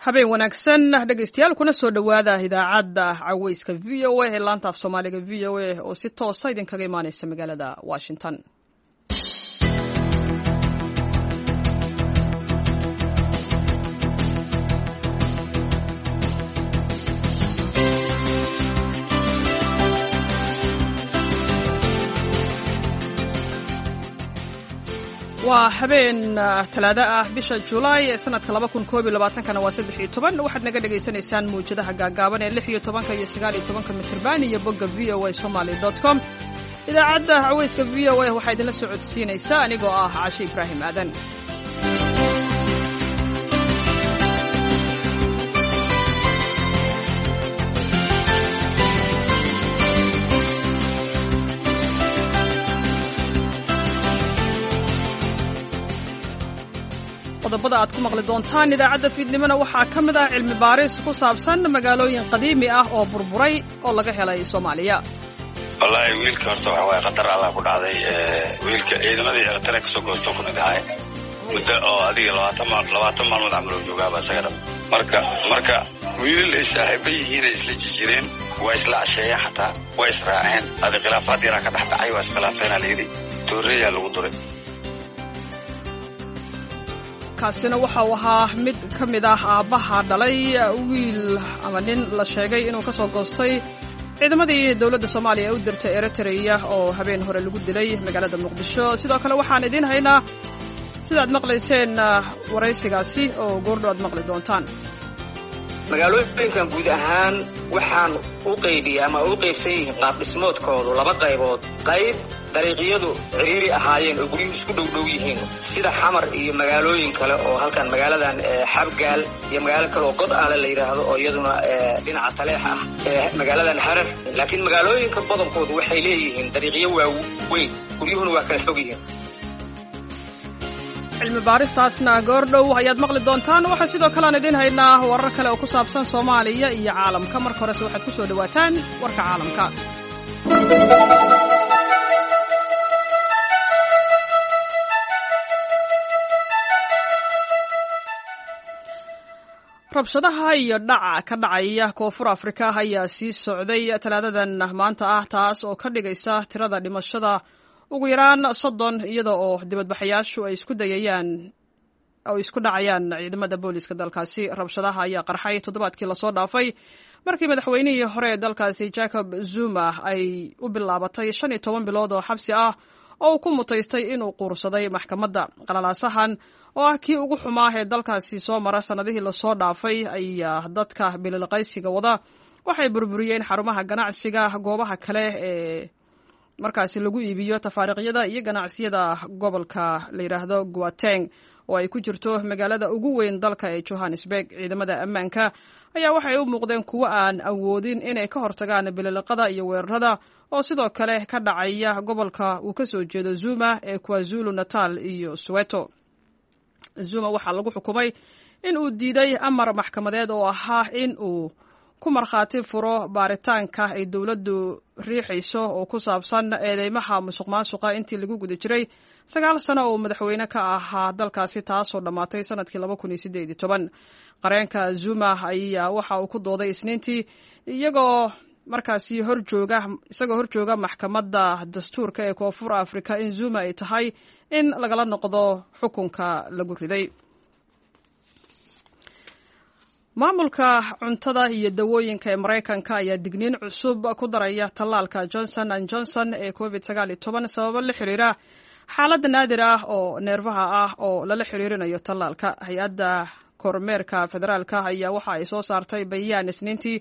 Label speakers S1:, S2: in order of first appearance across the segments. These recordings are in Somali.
S1: Habeen wanaagsan, dhegaystayaal, kuna soo dhowaada idaacadda Caweyska VOA ee laanta af Soomaaliga VOA oo si toosa idinkaga imaaneysa magaalada Washington. Waa habeen Talaado ah, bisha Julaay ee sanadka 2021-kana waa 13. Waxaad naga dhagaysanaysaan muwjadaha gaagaaban ee 16-ka iyo 19-ka mitirban iyo bogga voasomaly.com. Idaacadda Caweyska VOA waxaa idinla socodsiinaysaa anigoo ah Cashe Ibraahim Aadan. Qodobada aad ku maqli doontaan idaacadda fiidnimona waxaa ka mid ah cilmi baaris ku saabsan magaalooyin qadiimi ah oo burburay oo laga helay Soomaaliya.
S2: Wallaahi, wiilka horta waxa waaye khatar Allah ku dhacday. Wiilka ciidamadii Eritrea kasoo goosto ku mid ahay muddo oo adiga 20 maalmood camal oo joogaaba isaga dhab. Marka wiilal ay saaxiiba yihiin ay isla jijireen, waa isla casheeyeen, xataa waa israaceen. Adi khilaafaad yaraa ka dhex dhacay, waa iskhilaafeena layidhi, tooreeyaa lagu duray.
S1: Kaasina waxa uu ahaa mid ka mid ah aabbaha dhalay wiil ama nin la sheegay inuu ka soo goostay ciidamadii dowladda Soomaaliya ee u dirtay Eritrea oo habeen hore lagu dilay magaalada Muqdisho. Sidoo kale waxaan idiin haynaa, sidaad maqlayseen, waraysigaasi oo goordho aad maqli doontaan.
S3: Magaalooyinkan guud ahaan waxaan u qaybiyey ama u qaybsan yihiin qaab dhismoodkoodu laba qaybood: qayb dariiqyadu ciriiri ahaayeen oo guryuhu isku dhowdhow yihiin, sida Xamar iyo magaalooyin kale oo halkan magaaladan Xabgaal iyo magaalo kale oo God Aale la yidhaahdo oo iyaduna dhinaca Taleex ah, magaaladan Harar. Laakiin magaalooyinka badankoodu waxay leeyihiin dariiqyo waaweyn, guryuhuna waa kala fog yihiin.
S1: Cilmi baaristaasna goordhow ayaad maqli doontaan. Waxaa sidoo kale aan idiin haynaa warar kale oo ku saabsan Soomaaliya iyo caalamka. Marka horese waxaad ku soo dhowaataan warka caalamka. Rabshadaha iyo dhaca ka dhacaya Koonfur Afrika ayaa sii socday Talaadadan maanta ah, taas oo ka dhigaysa tirada dhimashada ugu yaraan 30, iyada oo dibadbaxayaashu ay isku dayayaan oo isku dhacayaan ciidamada booliiska dalkaasi. Rabshadaha ayaa qarxay toddobaadkii lasoo dhaafay markii madaxweynihii hore ee dalkaasi Jacob Zuma ay u bilaabatay 15 bilood oo xabsi ah oo uu ku mutaystay inuu quursaday maxkamadda. Qalalaasahan oo ah kii ugu xumaa ee dalkaasi soo mara sannadihii lasoo dhaafay ayaa dadka bililqaysiga wada waxay burburiyeen xarumaha ganacsiga, goobaha kale ee markaasi lagu iibiyo tafaariiqyada iyo ganacsiyada gobolka la yidhaahdo Guateng oo ay ku jirto magaalada ugu weyn dalka ee Johannesburg. Ciidamada ammaanka ayaa waxay u muuqdeen kuwo aan awoodin inay ka hortagaan bililiqada iyo weerarada oo sidoo kale ka dhacaya gobolka uu ka soo jeedo Zuma ee KwaZulu Natal iyo Soweto. Zuma waxaa lagu xukumay in uu diiday amar maxkamadeed oo ahaa in uu ku markhaati furo baaritaanka ay dowladdu riixayso oo ku saabsan eedeymaha musuq maasuqa intii lagu guda jiray 9 sano oo madaxweyne ka ahaa dalkaasi, taasoo dhammaatay sanadkii 2018. Qareenka Zuma ayaa waxa uu ku dooday Isniintii iyagoo markaasi horjooga isagoo horjooga maxkamadda dastuurka ee Koonfur Afrika in Zuma ay tahay in lagala noqdo xukunka lagu riday. Maamulka cuntada iyo dawooyinka ee Maraykanka ayaa digniin cusub ku daraya tallaalka Johnson and Johnson ee COVID 19 sababo la xiriira xaalad naadir ah oo neerfaha ah oo lala xiriirinayo tallaalka. Hay-adda kormeerka federaalka ayaa waxa ay soo saartay bayaan Isniintii,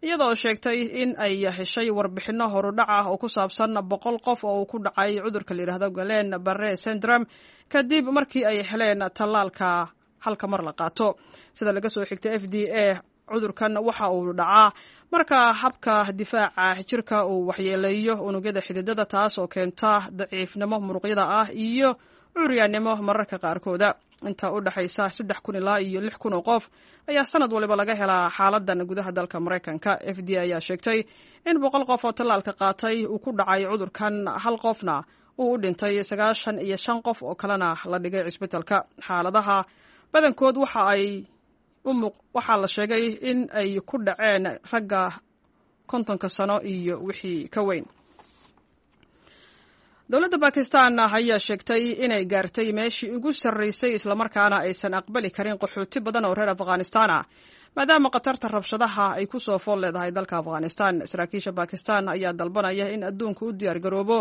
S1: iyadoo sheegtay in ay heshay warbixinno horudhac ah oo ku saabsan 100 qof oo uu ku dhacay cudurka la yidhaahdo Guillain Barre syndrome kadib markii ay heleen tallaalka halka mar la qaato. Sida laga soo xigtay FDA, cudurkan waxa uu dhacaa marka habka difaaca jirka uu waxyeeleeyo unugyada xididada, taas oo keenta daciifnimo muruqyada ah iyo curyaannimo mararka qaarkooda. Inta u dhexaysa 3000 ilaa iyo 6000 oo qof ayaa sanad waliba laga helaa xaaladan gudaha dalka Maraykanka. FDA ayaa sheegtay in 100 qof oo tallaalka qaatay uu ku dhacay cudurkan, hal qofna uu u dhintay, 95 qof oo kalena la dhigay cisbitalka. Xaaladaha badankood waxa ay Waxaa la sheegay in ay ku dhaceen ragga 50-ka sano iyo wixii ka weyn. Dowladda Bakistan ayaa sheegtay inay gaartay meeshii ugu sarraysay, islamarkaana aysan aqbali karin qaxooti badan oo reer Afghanistan ah, maadaama khatarta rabshadaha ay ku soo fool leedahay dalka Afghanistan. Saraakiisha Bakistan ayaa dalbanaya in adduunka u diyaargaroobo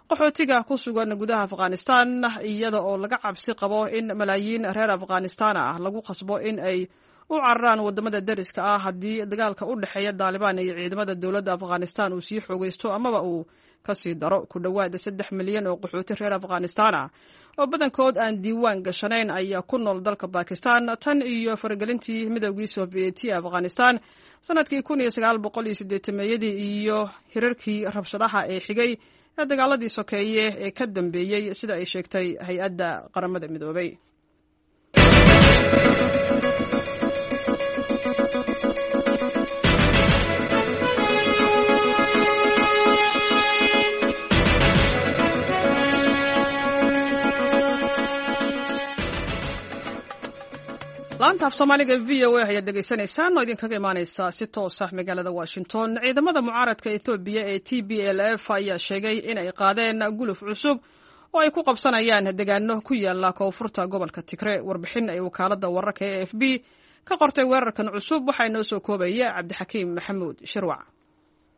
S1: qaxootiga ku sugan gudaha Afghanistan, iyada oo laga cabsi qabo in malaayiin reer Afghanistan ah lagu khasbo in ay u cararaan wadamada deriska ah haddii dagaalka u dhexeeya Daalibaan iyo ciidamada dowladda Afghanistan uu sii xoogaysto amaba uu kasii daro. Ku dhowaada 3 milyan oo qaxooti reer Afghanistan ah oo badankood aan diiwaan gashanayn ayaa ku nool dalka Bakistan tan iyo faragelintii Midowgii Soviyeeti ee Afghanistan sanadkii 1980-meeyadii iyo hirarkii rabshadaha ee xigay ee dagaaladii sokeeye ee ka dambeeyey, sida ay sheegtay hay-adda Qaramada Midoobay. Laanta af Soomaaliga VOA ayaad dhegaysanaysaan oo idinkaga imaaneysa si toos ah magaalada Washington. Ciidamada mucaaradka Ethoobiya ee TPLF ayaa sheegay in ay qaadeen guluf cusub oo ay ku qabsanayaan deegaano ku yaala koonfurta gobolka Tigre. Warbixin ay wakaaladda wararka ee AFP ka qortay weerarkan cusub waxaa inoo soo koobaya Cabdixakiim Maxamuud Shirwac.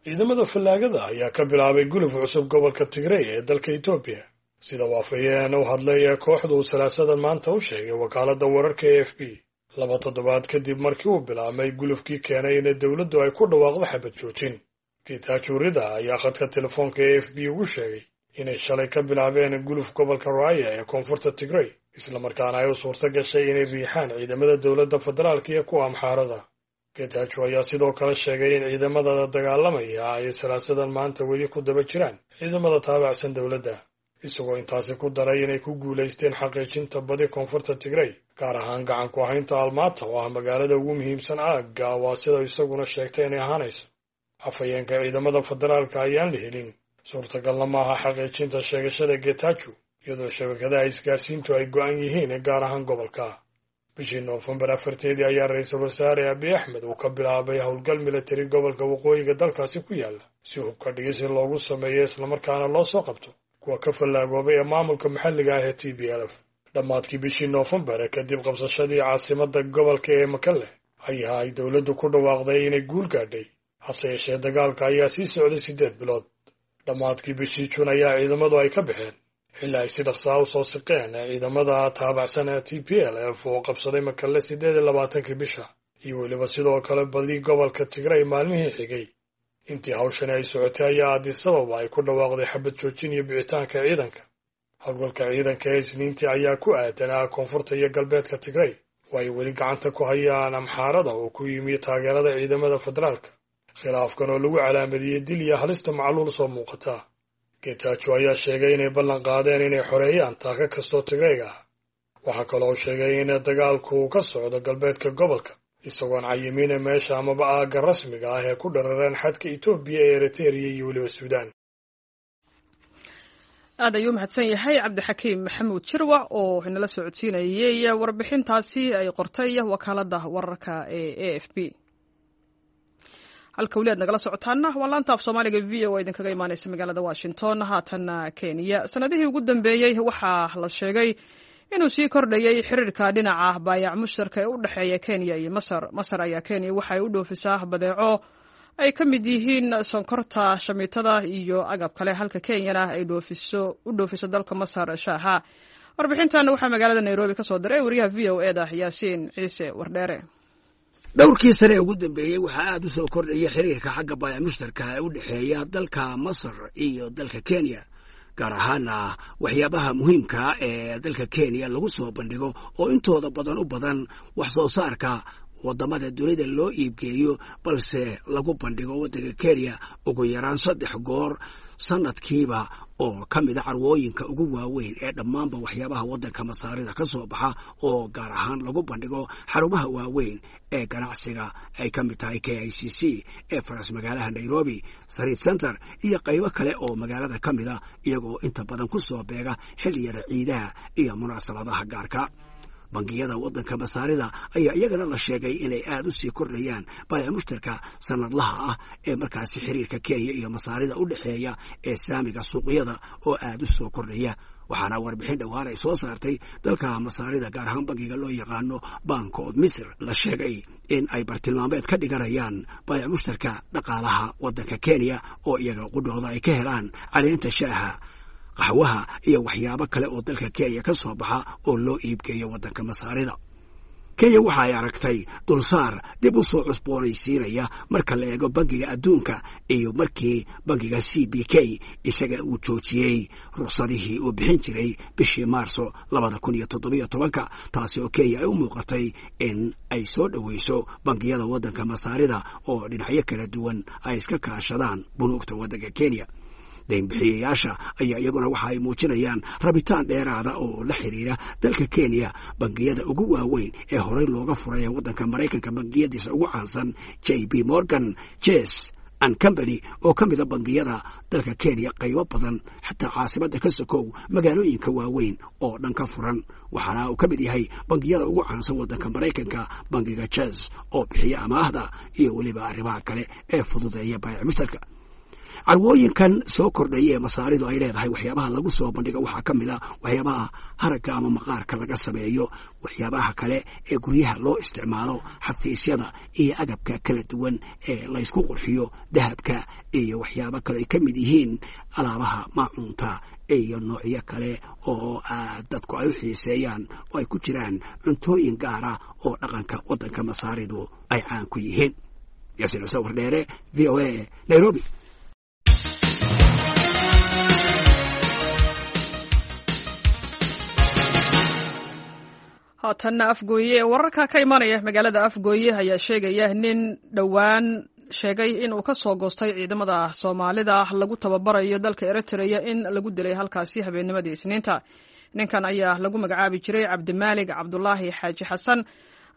S4: Ciidamada fallaagada ayaa ka bilaabay guluf cusub gobolka Tigrey ee dalka Etoobiya, sida waafayeen u hadlay ee kooxdu Salaasadan maanta u sheegay wakaaladda wararka AFP, 2 toddobaad kadib markii uu bilaabmay gulufkii keenay in dowladdu ay ku dhawaaqdo xabad joojin. Getachew Reda ayaa khadka telefoonka AFP ugu sheegay inay shalay ka bilaabeen guluf gobolka Raya ee koonfurta Tigrey, islamarkaana ay u suurto gashay inay riixaan ciidamada dowladda federaalka iyo kuwa Amxaarada. Getachew ayaa sidoo kale sheegay in ciidamada dagaalamaya ay Salaasadan maanta weli ku daba jiraan ciidamada taabacsan dowladda, isagoo intaasi ku daray inay ku guulaysteen xaqiijinta badi koonfurta Tigrey, gaar ahaan gacan ku haynta Almaata oo ah magaalada ugu muhiimsan aagga, waa sida isaguna sheegtay inay ahaanayso. Afhayeenka ciidamada federaalka ayaan la helin. Suurtagalna maaha xaqiijinta sheegashada Getachew, iyadoo shabakadaha isgaarsiintu ay go'an yihiin, gaar ahaan gobolka. Bishii Noofembar 4-teedii ayaa ra-iisul wasaare Abiy Axmed uu ka bilaabay howlgal militari gobolka waqooyiga dalkaasi ku yaala, si hubka dhigisi loogu sameeyo islamarkaana loo soo qabto kuwa ka fallaagoobay ee maamulka maxalliga ah ee TPLF. Dhammaadkii bishii Noofembar, kadib qabsashadii caasimadda gobolka ee Makalle, ayaa ay dowladdu ku dhawaaqday inay guul gaadhay. Hase yeeshee, dagaalka ayaa sii socday 8 bilood. Dhammaadkii bishii Juun ayaa ciidamadu ay ka baxeen, xilli ay si dhaqsaa u soo siqeen ciidamada taabacsan ee TPLF oo qabsaday Makalle 28-kii bisha iyo weliba sidoo kale badi gobolka Tigray maalmihii xigay. Intii hawshani ay socotay ayaa Addis Ababa ay ku dhawaaqday xabad joojin iyo bixitaanka ciidanka. Howlgalka ciidanka ee Isniintii ayaa ku aadanaa koonfurta iyo galbeedka Tigray oo ay weli gacanta ku hayaan Amxaarada oo ku yimi taageerada ciidamada federaalka, khilaafkan oo lagu calaamadiyey dil iyo halista macluul soo muuqata. Getachew ayaa sheegay inay ballan qaadeen inay xoreeyaan taaka kastoo Tigrayga ah. Waxaa kaloo sheegay in dagaalku ka socdo galbeedka gobolka, isagoon cayimin meesha amaba aagga rasmiga ah ee ku dharareen xadka Itoobiya ee Eritereya iyo weliba Suudaan.
S1: Aad ayuu mahadsan yahay Cabdixakiim Maxamuud Shirwac oo inala soo codsiinayey warbixintaasi ay qortay wakaaladda wararka ee AFP. Halka weli aad nagala socotaana waa laanta af Soomaaliga VOA idinkaga imaaneysa magaalada Washington. Haatanna Kenya. Sanadihii ugu dambeeyey waxaa la sheegay inuu sii kordhayey xiriirka dhinaca baayac mushtarka ee u dhexeeya Kenya iyo Masar. Masar ayaa Kenya waxay u dhoofisaa badeeco ay ka mid yihiin sonkorta, shamiitada iyo agab kale, halka Kenyana ay u dhoofiso dalka Masar shaaha. Warbixintan waxaa magaalada Nairobi ka soo diray wariyaha VOA da Yaasiin Ciise Wardheere.
S5: Dhowrkii sane ee ugu dambeeyey waxaa aad u soo kordhaya xiriirka xagga baayac mushtarka ee u dhexeeya dalka Masar iyo dalka Kenya, gaar ahaana waxyaabaha muhiimka ee dalka Kenya lagu soo bandhigo oo intooda badan u badan wax soo saarka waddamada dunida loo iibgeeyo, balse lagu bandhigo waddanka Kenya ugu yaraan saddex goor sanadkiiba, oo ka mida carwooyinka ugu waaweyn ee dhammaanba waxyaabaha waddanka Masaarida ka soo baxa, oo gaar ahaan lagu bandhigo xarumaha waaweyn ee ganacsiga ay ka mid tahay KICC ee faras magaalaha Nairobi, Sarit Center iyo qaybo kale oo magaalada ka mida, iyagoo inta badan ku soo beega xilliyada ciidaha iyo munaasabadaha gaarka. Bangiyada waddanka Masaarida ayaa iyagana la sheegay inay aada u sii kordhayaan baayac mushtarka sanadlaha ah ee markaasi xiriirka Kenya iyo Masaarida u dhexeeya ee saamiga suuqyada oo aada u soo kordhaya. Waxaana warbixin dhowaan ay soo saartay dalka Masaarida, gaar ahaan bangiga loo yaqaano Bank of Misr, la sheegay in ay bartilmaameed ka dhiganayaan baayac mushtarka dhaqaalaha waddanka Kenya, oo iyaga qudhooda ay ka helaan caleenta shaaha, qaxwaha iyo waxyaabo kale oo dalka Kenya ka soo baxa oo loo iibgeeyo waddanka Masaarida. Kenya waxa ay aragtay dulsaar dib u soo cusboonaysiinaya marka la eego Bangiga Adduunka iyo markii bangiga CBK isaga uu joojiyey ruqsadihii uu bixin jiray bishii Maarso 2017-ka, taasi oo Kenya ay u muuqatay in ay soo dhoweyso bangiyada waddanka Masaarida oo dhinacyo kala duwan ay iska kaashadaan bunuugta waddanka Kenya. Daynbixiyayaasha ayaa iyaguna waxa ay muujinayaan rabitaan dheeraada oo la xiriira dalka Kenya. Bangiyada ugu waaweyn ee horey looga furay ee waddanka Maraykanka, bangiyadiisa ugu caansan JP Morgan Chase and Company, oo ka mida bangiyada dalka Kenya qaybo badan, xataa caasimada ka sokow magaalooyinka waaweyn oo dhan ka furan, waxaana uu ka mid yahay bangiyada ugu caansan waddanka Maraykanka bangiga Chase oo bixiya amaahda iyo weliba arrimaha kale ee fududeeya baayac mushtarka. Carwooyinkan soo kordhaya ee Masaaridu ay leedahay waxyaabaha lagu soo bandhigo waxaa ka mid a waxyaabaha haragga ama maqaarka laga sameeyo, waxyaabaha kale ee guryaha loo isticmaalo, xafiisyada iyo agabka kala duwan ee laysku qurxiyo, dahabka iyo waxyaabo kale ay ka mid yihiin alaabaha maacuunta iyo noocyo kale oo aad dadku ay u xiiseeyaan, oo ay ku jiraan cuntooyin gaara oo dhaqanka waddanka Masaaridu ay caan ku yihiin. Yaasiin Cuse Wardheere, VOA, Nairobi.
S1: Haatanna Afgooye. Wararka ka imanaya magaalada Afgooye ayaa sheegaya nin dhowaan sheegay in uu ka soo goostay ciidamada Soomaalida lagu tababarayo dalka Eritrea in lagu dilay halkaasi habeennimadii Isniinta. Ninkan ayaa lagu magacaabi jiray Cabdimaalig Cabdulaahi Xaaji Xasan.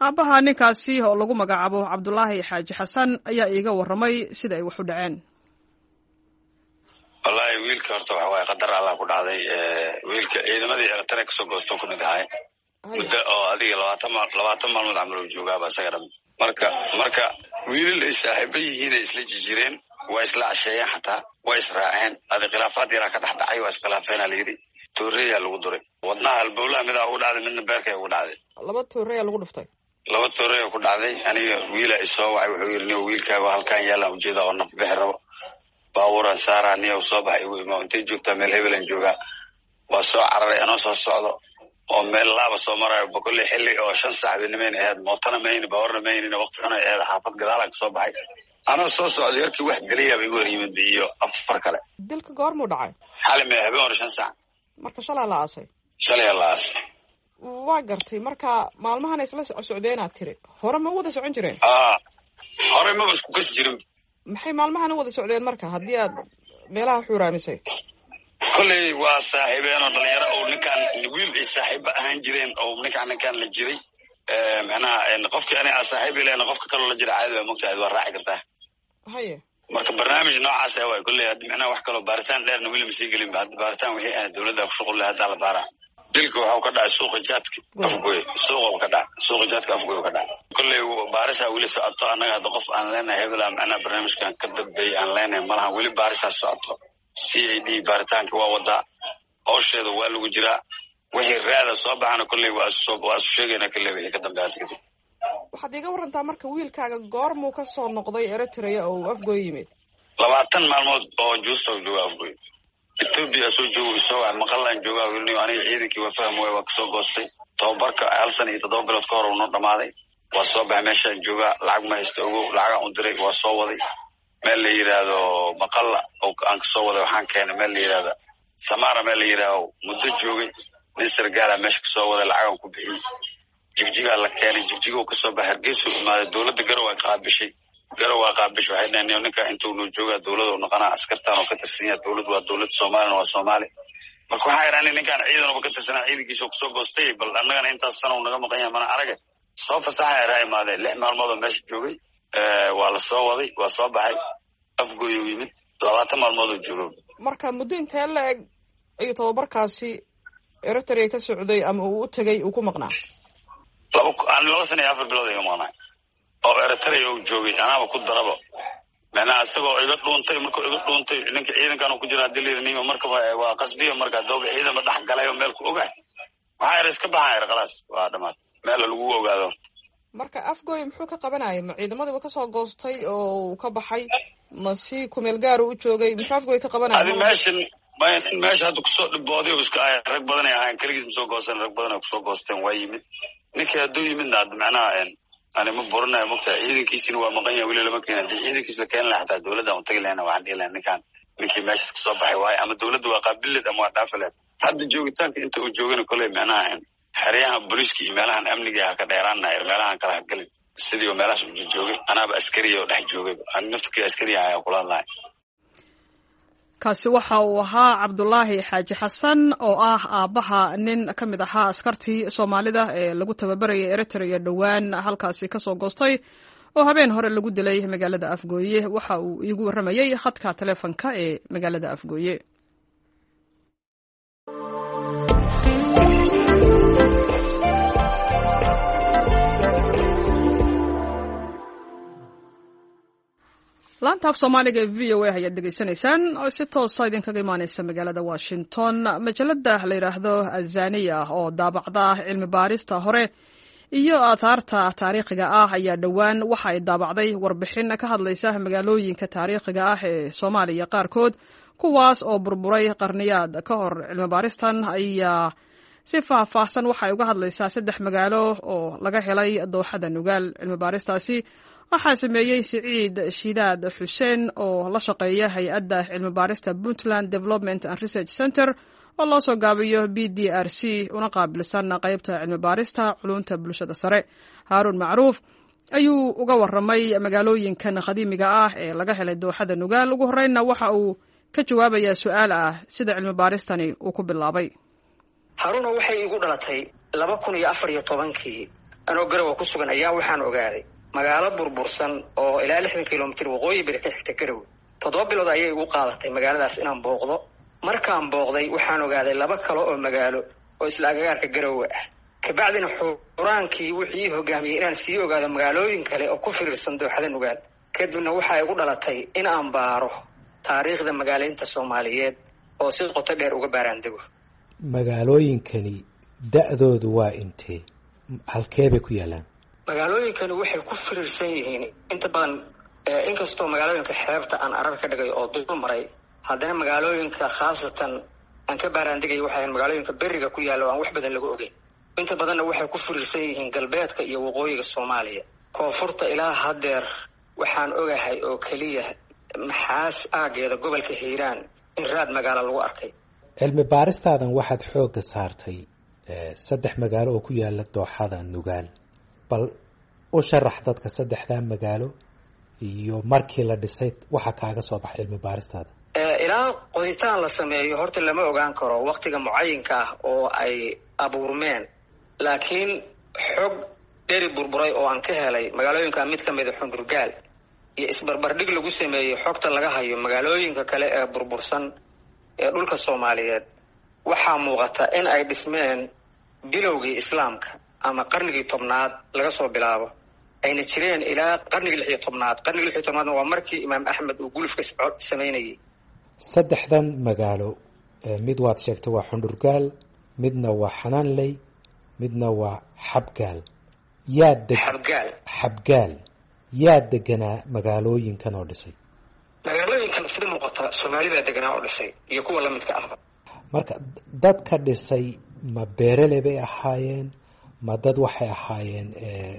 S1: Aabbaha ninkaasi oo lagu magacaabo Cabdulaahi Xaaji Xasan ayaa iiga warramay sida ay wax u dhaceen.
S2: Wallaahi wiilka horta waxa waaye qadar Allah ku dhacday. Wiilka ciidamadii Eritrea kasoo goosto ku mid ahay, muddo oo adiga 20 maalmood camal uu joogaaba isaga dham. Marka wiilal ay saaxiibo yihiin ay isla jijireen, waa isla casheeyeen, xataa waa israaceen. Adi khilaafaad yaraa ka dhex dhacay, waa iskhilaafeena layidhi, tooreeyaa lagu duray wadnaha, halbowlaha midaa ugu dhacday, midna beerkay ugu dhacday.
S1: Laba tooreeyaa lagu dhuftay?
S2: Laba tooreeya ku dhacday. Aniga wiila isoo wacay, wuxuu yidhi: "Niyo, wiilkaaga halkaan yaalaan ujeeda oo naf bixi rabo, baabuuraan saaraa, niyow soo bax, igu imo. Intay joogtaa?" "Meel hebelan joogaa." Waa soo cararay anoo soo socdo oo meel laaba soo marayo boqolli, xilli oo 5 saac binimayn ahayd, mootana mayni, baawarna maynina, waqti xunay ahayd. Xaafad gadaalaan kasoo baxay anoo soo socdo, yarkii wax geliyaaba igu hor yimid iyo afar kale.
S1: Dilka goormuu dhacay?
S2: Xali mee, habeen hore 5 saac.
S1: Marka shalaa la aasay?
S2: Shalaya la aasay.
S1: Waa gartay. Marka maalmahan isla socdeenaad tiri, hore ma u wada socon jireen?
S2: A, hore maba isku kasi jirin.
S1: Maxay maalmahan u wada socdeen marka, haddii aad meelaha xuuraamisay?
S2: Kolley waa saaxiibeen oo dhalinyaro oo ninkaan wiil ay saaxiiba ahaan jireen oo ninkaan la jiray. Macnaha qofkii ani aa saaxiib ileen, qofka kaloo la jira caadi waa mogtahay, waa raaci kartaa. Marka barnaamij noocaas ah waay kolley. Hadda macnaha wax kaloo baaritaan dheerna weli ma sii gelin ba. Hadda baaritaan wixii ah dowladda ku shuqul leh haddaa la baaraa. Dilka waxau ka dhacay suuqa jaadka Afgoy, suuqa ka dhacay, suuqa jaadka Afgoy ka dhacay. Kolley baarisaa weli socoto. Annaga hadda qof aan leenahay hebela macnaha barnaamijkan ka dambeeyay aan leenahay malaha, weli baarisaa socoto. CID baaritaanka waa wadaa, hawsheeda waa lagu jiraa. Wixii raada soo baxana kolley waa isu sheegayna kolley wixii ka dambeeya hadda kadib.
S1: Waxaad iiga warantaa marka, wiilkaaga goormuu ka soo noqday Eritrea oo uu Afgoy yimid?
S2: 20 maalmood oo juusta u jooga Afgoy. Etoobiya soo joogo, isoo wac, maqallaan joogaa wilniyo, aniga ciidankii waa faham waay, waa kasoo goostay tababarka hal sana iyo 7 bilood ka hor uu noo dhamaaday, waa soo baxay, meeshaan joogaa, lacag ma haysto ogow. Lacagaan u diray, waa soo waday meel la yidhaahdo Maqalla oo aan kasoo waday, waxaan keenay meel la yidhahdo Samaara, meel la yidhaahdo muddo joogay, nin sargaala meesha kasoo waday, lacagaan ku bixiyey, Jigjigaa la keenay, Jigjigo kasoo baxay, Hargeysuu imaaday. Dowladda Garow ay qaabishay, Garow waa qaabishay. Waxay dhaheen ninka intuu noo joogaa dowladu noqonaa, askartaan oo ka tirsan yahay dowlad, waa dowlad Soomaalina, waa Soomaali. Marka waxaa idhahnay ninkaan ciidanuba ka tirsanaa, ciidankiisa kusoo goostay, bal annagana intaas sana uu naga maqan yahay mana araga, soo fasaxa eraa. Imaadeen 6 maalmood oo meesha joogay, waa la soo waday, waa soo baxay, Afgooy uu yimid, 20 maalmood oo joogo.
S1: Marka muddo intee la eg ayuu tababarkaasi Eritrea ka socday ama uu u tegay uu ku maqnaa?
S2: 2 sano iyo 4 bilood iga maqnaay oo Eritrea uu joogay, anaaba ku daraba macnaha isagoo iga dhuuntay. Markuu iga dhuuntay ninka ciidankan ku jira hadii layidhi nima markaba waa qasbiya, marka dooba ciidanba dhex galay oo meel ku ogaay waxaa yar iska baxaa yar khalaas waa dhamaad meel lagu ogaado.
S1: Marka Afgoy muxuu ka qabanayay? Ma ciidamadii ka soo goostay oo uu ka baxay, ma si kumeel gaar u joogay? Muxuu Afgoy ka qabanayay?
S2: Adi meeshan meesha hadda kusoo dhibooday oo iska ay rag badan ay ahayn, keligiis ma soo goosan, rag badan ay kusoo goosteen. Waa yimid ninkii, hadduu yimidna hadda macnaha ani ma buranayo, mogtahay ciidankiisina waa maqan yahay, weli lama keenin. Haddii ciidankiis la keeni lahaa xataa dowladda aan utagi lahayna, waxaan dhihi lahay ninkaan ninkii meeshaas kasoo baxay waaye, ama dowladda waa qaabileed ama waa dhaafi leed. Hadda joogitaanka inta uu joogana koley macnaha xeryaha booliiska iyo meelahan amniga ha ka dheeraanayr, meelahan kale ha gelin, sidii oo meelahaas u joogay. Anaaba askariya oo dhex joogay, ani naftkii askariya ayaa kula hadlahay.
S1: Kaasi waxa uu ahaa Cabdulaahi Xaaji Xasan oo ah aabbaha nin ka mid ahaa askartii Soomaalida ee lagu tababarayay Eritrea, dhowaan halkaasi ka soo goostay oo habeen hore lagu dilay magaalada Afgooye. Waxa uu iigu warramayey khadka taleefanka ee magaalada Afgooye. Laanta af Soomaaliga ee V O A ayaad dhegeysanaysaan oo si toosa idinkaga imaaneysa magaalada Washington. Majalada la yidhaahdo Azaniya oo daabacda cilmi baarista hore iyo aathaarta taariikhiga ah ayaa dhowaan waxa ay daabacday warbixin ka hadlaysa magaalooyinka taariikhiga ah ee Soomaaliya qaarkood, kuwaas oo burburay qarniyaad ka hor. Cilmi baaristan ayaa si faahfaahsan waxay uga hadlaysaa 3 magaalo oo laga helay dooxada Nugaal. Cilmi baaristaasi waxaa sameeyey Siciid Shidaad Xuseen oo la shaqeeya hay-adda cilmi baarista Puntland Development and Research Center oo loo soo gaabiyo B D R C, una qaabilsan qeybta cilmi baarista culunta bulshada sare. Haaruun Macruuf ayuu uga waramay magaalooyinkan qadiimiga ah ee laga helay dooxada Nugaal. Ugu horreynna waxa uu ka jawaabayaa su-aal ah sida cilmi baaristani uu ku bilaabay.
S3: Haruuna, waxay igu dhalatay 2014-kii anoo Garowa ku sugan ayaa waxaan ogaaday magaalo burbursan oo ilaa 60 kilomitir waqooyi bari ka xigta Garowe. 7 bilood ayay igu qaadatay magaaladaas inaan booqdo. Markaan booqday waxaan ogaaday 2 kale oo magaalo oo isla agagaarka Garowe ah. Kabacdina xuraankii wuxuu ii hogaamiyey inaan sii ogaado magaalooyin kale oo ku firiirsan dooxada Nugaal. Kadibna waxaa igu dhalatay in aan baaro taariikhda magaalaynta Soomaaliyeed oo si qoto dheer uga baaraandego.
S6: Magaalooyinkani da-doodu waa intee? Halkee bay ku yaalaan?
S3: Magaalooyinkani waxay ku firiirsan yihiin inta badan, inkastoo magaalooyinka xeebta aan arar ka dhigay oo dul maray, haddana magaalooyinka khaasatan aan ka baaraandegay waxay ahayn magaalooyinka beriga ku yaalla oo aan wax badan laga ogeyn. Inta badanna waxay ku firiirsan yihiin galbeedka iyo waqooyiga Soomaaliya. Koonfurta ilaa haddeer waxaan ogahay oo keliya Maxaas aageeda gobolka Hiiraan in raad magaalo lagu arkay.
S6: Cilmi baaristaadan waxaad xoogga saartay 3 magaalo oo ku yaala dooxada Nugaal. Bal u sharax dadka 3-daa magaalo iyo markii la dhisay waxa kaaga soo baxay cilmi baaristaada.
S3: Ilaa qoditaan la sameeyo horta lama ogaan karo waktiga mucayinka ah oo ay abuurmeen, laakiin xog dheri burburay oo aan ka helay magaalooyinka mid ka mida Xundurgaal iyo isbarbardhig lagu sameeyey xogta laga hayo magaalooyinka kale ee burbursan ee dhulka Soomaaliyeed, waxaa muuqata in ay dhismeen bilowgii Islaamka ama qarnigii 10aad laga soo bilaabo, ayna jireen ilaa qarnigii 16aad. Qarnigii 16aadna waa markii Imaam Axmed uu gulufka samaynayay.
S6: 3-dan magaalo mid waad sheegtay waa Xundurgaal, midna waa Xanaanley, midna waa Xabgaal.
S3: Xabgaal.
S6: Xabgaal yaa deganaa magaalooyinkan oo dhisay?
S3: Magaalooyinkan sida muuqata Soomaali baa deganaa oo dhisay iyo kuwa lamidka ahba.
S6: Marka dadka dhisay ma beerele bay ahaayeen, ma dad waxay ahaayeen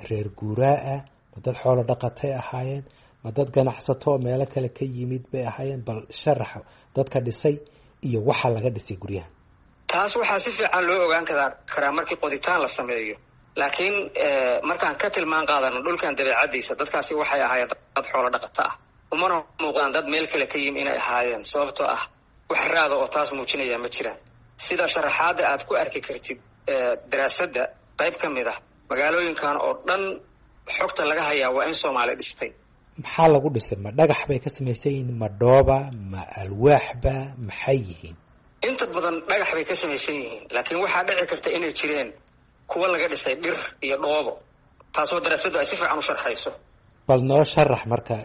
S6: reer guuraa ah, ma dad xoolo dhaqatay ahaayeen, ma dad ganacsato oo meelo kale ka yimid bay ahaayeen? Bal sharax dadka dhisay iyo waxa laga dhisay guryaha.
S3: Taas waxaa si fiican loo ogaan karaa markii qoditaan la sameeyo, laakiin markaan ka tilmaan qaadano dhulkan dabeecadiisa, dadkaasi waxay ahaayeen dad xoolo dhaqato ah, umana muuqdaan dad meel kale ka yimi inay ahaayeen, sababtoo ah wax raada oo taas muujinaya ma jiraan. Sida sharaxaadda aad ku arki kartid daraasadda qayb ka mid ah, magaalooyinkan oo dhan xogta laga hayaa waa in Soomaali dhistay.
S6: Maxaa lagu dhisay? Ma dhagax bay ka samaysan yihiin, ma dhooba, ma alwaaxba, maxay yihiin?
S3: Inta badan dhagax bay ka samaysan yihiin, laakiin waxaa dhici karta inay jireen Kuwa laga dhisay dhir iyo dhoobo, taasoo daraasaddu ay si fiican u sharxayso.
S6: Bal noo sharax marka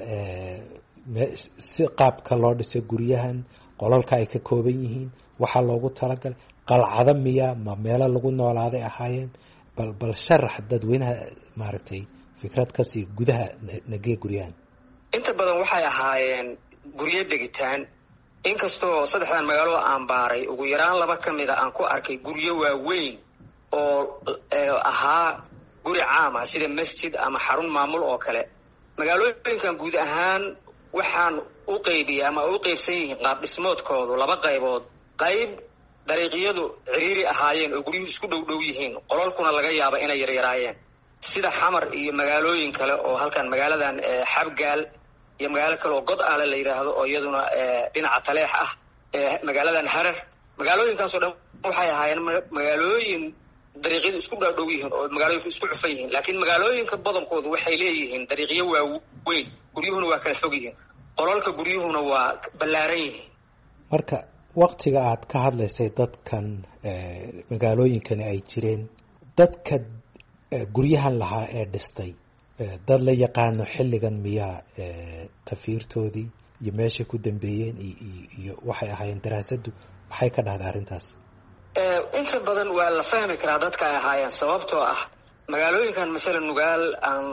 S6: si qaabka loo dhisay guryahan, qolalka ay ka kooban yihiin, waxaa loogu talagalay qalcado miya, ma meelo lagu noolaaday ahaayeen? Bal sharax dadweynaha, maaragtay, fikrad kasii gudaha nagee guryahan.
S3: Inta badan waxay ahaayeen guryo degitaan, inkastoo saddexdan magaalo aan baaray ugu yaraan laba ka mida aan ku arkay guryo waaweyn oo ahaa guri caam ah, sida masjid ama xarun maamul oo kale. Magaalooyinkan guud ahaan waxaan u qaybiyey ama u qaybsan yihiin qaab dhismoodkoodu laba qaybood: qayb dariiqyadu ciriiri ahaayeen oo guryuhu isku dhow dhow yihiin, qolalkuna laga yaaba inay yaryaraayeen, sida Xamar iyo magaalooyin kale oo halkan magaaladan Xabgaal iyo magaalo kale oo God Ale la yidhaahdo oo iyaduna dhinaca Taleex ah, magaaladan Harar. Magaalooyinkaasoo dhan waxay ahaayeen magaalooyin dariiqyadu isku dhaadhow yihiin oo magaalooyinku isku cufan yihiin, laakiin magaalooyinka badankoodu waxay leeyihiin dariiqyo waaweyn, guryuhuna waa kala fog yihiin, qolalka guryuhuna waa ballaaran yihiin.
S6: Marka waktiga aad ka hadlaysay dadkan magaalooyinkani ay jireen, dadka guryahan lahaa ee dhistay dad la yaqaano xilligan miyaa? Tafiirtoodii iyo meeshay ku dambeeyeen iyo waxay ahaayeen, daraasaddu maxay ka dhahday arrintaas?
S3: Inta badan waa la fahmi karaa dadka ay ahaayeen, sababtoo ah magaalooyinkan, masala Nugaal aan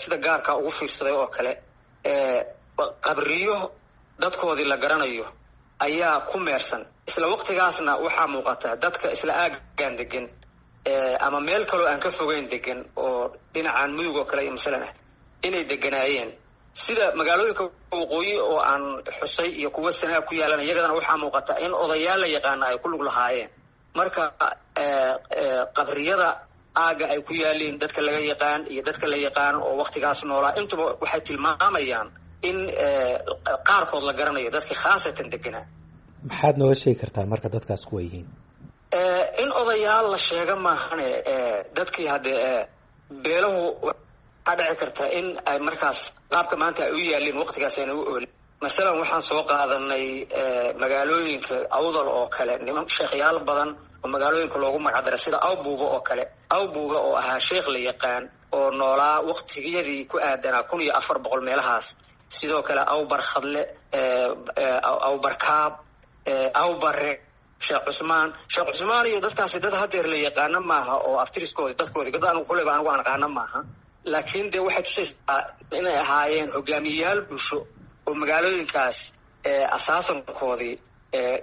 S3: sida gaarka ugu fiirsaday oo kale, qabriyo dadkoodii la garanayo ayaa ku meersan. Isla waqtigaasna waxaa muuqata dadka isla aaggan degan ama meel kaloo aan ka fogeyn degan oo dhinacan Mudug oo kale iyo masalan ah inay deganaayeen, sida magaalooyinka waqooyi oo aan xusay iyo kuwa Sanaa ku yaalan. Iyagadana waxaa muuqata in odayaal la yaqaana ay ku lug lahaayeen. Marka qabriyada aagga ay ku yaaliin, dadka laga yaqaan iyo dadka la yaqaan oo waktigaas noolaa, intuba waxay tilmaamayaan in qaarkood la garanayo dadkii khaasatan deganaa.
S6: Maxaad nooga sheegi kartaa marka dadkaas kuwa yihiin?
S3: In odayaal la sheega maahane, dadkii haddee beelahu waxaa dhici karta in ay markaas qaabka maanta ay u yaalin waqtigaas ayna u oolin. Masalan waxaan soo qaadanay magaalooyinka Awdal oo kale, niman sheekhyaal badan oo magaalooyinka loogu magacdaray, sida Awbuuga oo kale. Awbuuga oo ahaa sheekh la yaqaan oo noolaa waqtigiyadii ku aadanaa 1400 meelahaas. Sidoo kale Awbarkhadle, Awbarkaab, Awbare, Sheekh Cusmaan. Sheekh Cusmaan iyo dadkaasi dad hadeer la yaqaano maaha oo abtiriskoodi dadkoodi dad anigu kuleba anigu aan aqaano maaha, laakiin dee waxay tusaysaa inay ahaayeen hogaamiyeyaal bulsho oo magaalooyinkaas asaasankoodii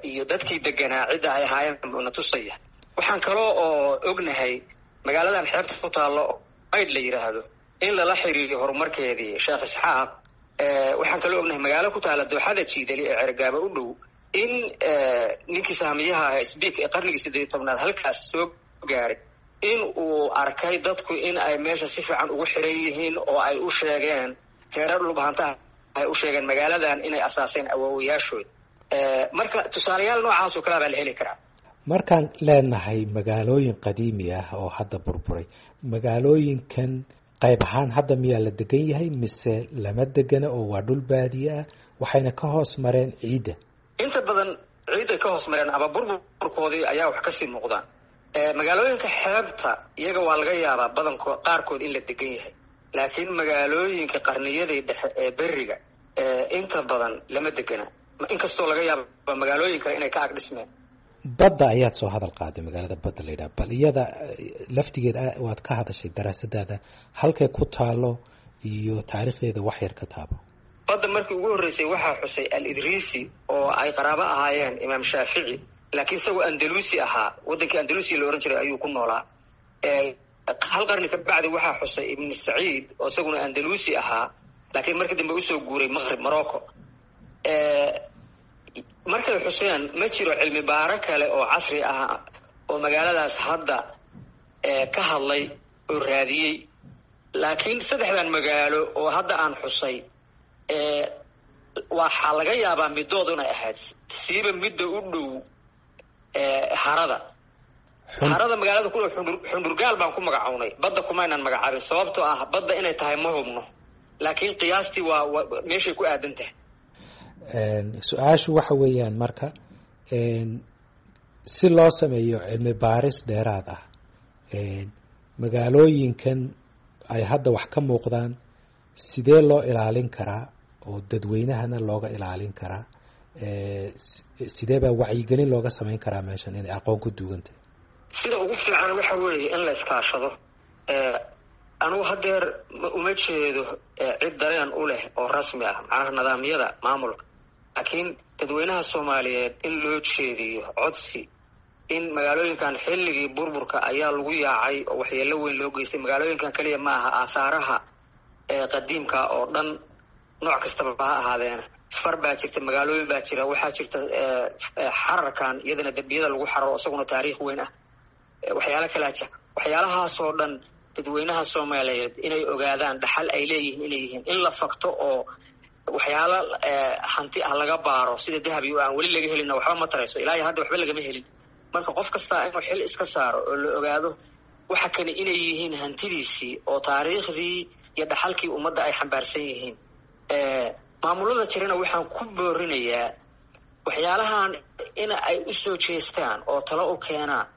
S3: iyo dadkii deganaa cidda ay ahaayeen na tusaya. Waxaan kaloo oo ognahay magaaladan xeebta ku taallo Maydh la yidhaahdo in lala xiriiriyo horumarkeedii Sheekh Isxaaq. Waxaan kaloo ognahay magaalo ku taalla dooxada Jiidali ee Cergaaba u dhow in ninkii sahamiyaha aha Sbiik ee qarnigii 18aad halkaas soo gaaray in uu arkay dadku in ay meesha si fiican ugu xiran yihiin oo ay u sheegeen reerar dhulbahantaha, ay u sheegeen magaaladan inay asaaseen awoowayaashood. Marka tusaalayaal noocaas oo kalea baa la heli karaa.
S6: Markaan leenahay magaalooyin qadiimi ah oo hadda burburay, magaalooyinkan qayb ahaan hadda miyaa la degan yahay mise lama degana oo waa dhul baadiye ah, waxayna ka hoos mareen ciidda?
S3: Inta badan ciidday ka hoos mareen ama burburkoodii ayaa wax kasii muuqdaan. Magaalooyinka xeebta iyaga waa laga yaabaa badanko qaarkood in la degan yahay, laakiin magaalooyinka qarniyadii dhexe ee beriga inta badan lama degana, inkastoo laga yaaba magaalooyin kale inay ka ag dhismeen.
S6: Badda ayaad soo hadal qaaday, magaalada Badda la yidhaha, bal iyada laftigeed waad ka hadashay daraasadaada, halkay ku taalo iyo taariikhdeeda wax yar ka taabo.
S3: Badda markii ugu horreysay waxaa xusay Al Idriisi oo ay qaraabo ahaayeen Imaam Shaafici, laakiin isagoo Andalusi ahaa, waddankii Andalusi la ohan jiray ayuu ku noolaa. Hal qarni ka bacdi waxaa xusay Ibn Saciid oo isaguna Andalusi ahaa, laakiin markii dambe usoo guuray Maqrib, Morocco. Markay xuseen ma jiro cilmi baaro kale oo casri ah oo magaaladaas hadda ka hadlay oo raadiyey, laakiin saddexdan magaalo oo hadda aan xusay waxaa laga yaabaa middood inay ahayd, siiba midda u dhow harada. Harada magaalada ku dhow Xundhurgaal baan ku magacownay, Badda kumaynaan magacaabin, sababtoo ah badda inay tahay ma hubno, laakiin qiyaastii waa meeshay ku aadan tahay.
S6: Su-aashu waxa weeyaan, marka si loo sameeyo cilmi baaris dheeraad ah Magaalooyinkan ay hadda wax ka muuqdaan sidee loo ilaalin karaa oo dadweynahana looga ilaalin karaa? Sidee baa wacyigelin looga samayn karaa meeshan inay aqoon ku duugantahay?
S3: Sida ugu fiican waxa weeye in la iskaashado. Anugu haddeer uma jeedo cid dareen u leh oo rasmi ah, macnaha nidaamyada maamulka, laakiin dadweynaha Soomaaliyeed in loo jeediyo codsi in magaalooyinkan xilligii burburka ayaa lagu yaacay oo waxyeello weyn loo geystay. Magaalooyinkan keliya ma aha, aahaaraha qadiimka oo dhan nooc kastaba ha ahaadeena. Far baa jirta, magaalooyin baa jira, waxaa jirta xararkan iyadana dembiyada lagu xararo, isaguna taariikh weyn ah, waxyaalo kalaa jira. Waxyaalahaasoo dhan dadweynaha Soomaaliyeed inay ogaadaan dhaxal ay leeyihiin inay yihiin, in la fakto oo waxyaalo hanti ah laga baaro sida dahab iyo aan weli laga helina waxba ma tarayso, ilaa iyo hadda waxba lagama helin. Marka qof kastaa inuu xil iska saaro oo la ogaado waxa kale inay yihiin hantidiisii oo taariikhdii iyo dhaxalkii ummadda ay xambaarsan yihiin. Maamulada jirana waxaan ku boorinayaa waxyaalahan in ay u soo jeestaan oo talo u keenaan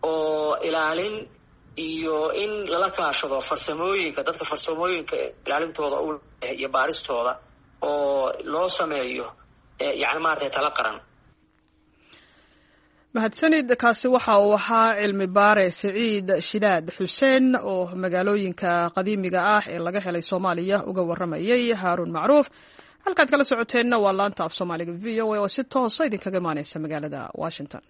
S3: oo ilaalin iyo in lala kaashado farsamooyinka, dadka farsamooyinka ilaalintooda u leh iyo baaristooda, oo loo sameeyo yacni maaragtay talo qaran.
S1: Mahadsanid. Kaasi waxa uu ahaa cilmi baare Siciid Shidaad Xuseen oo magaalooyinka qadiimiga ah ee laga helay Soomaaliya uga waramayay Haaruun Macruuf. Halkaad kala socoteenna waa laanta af Soomaaliga VOA oo si toosa idinkaga imaaneysa magaalada Washington.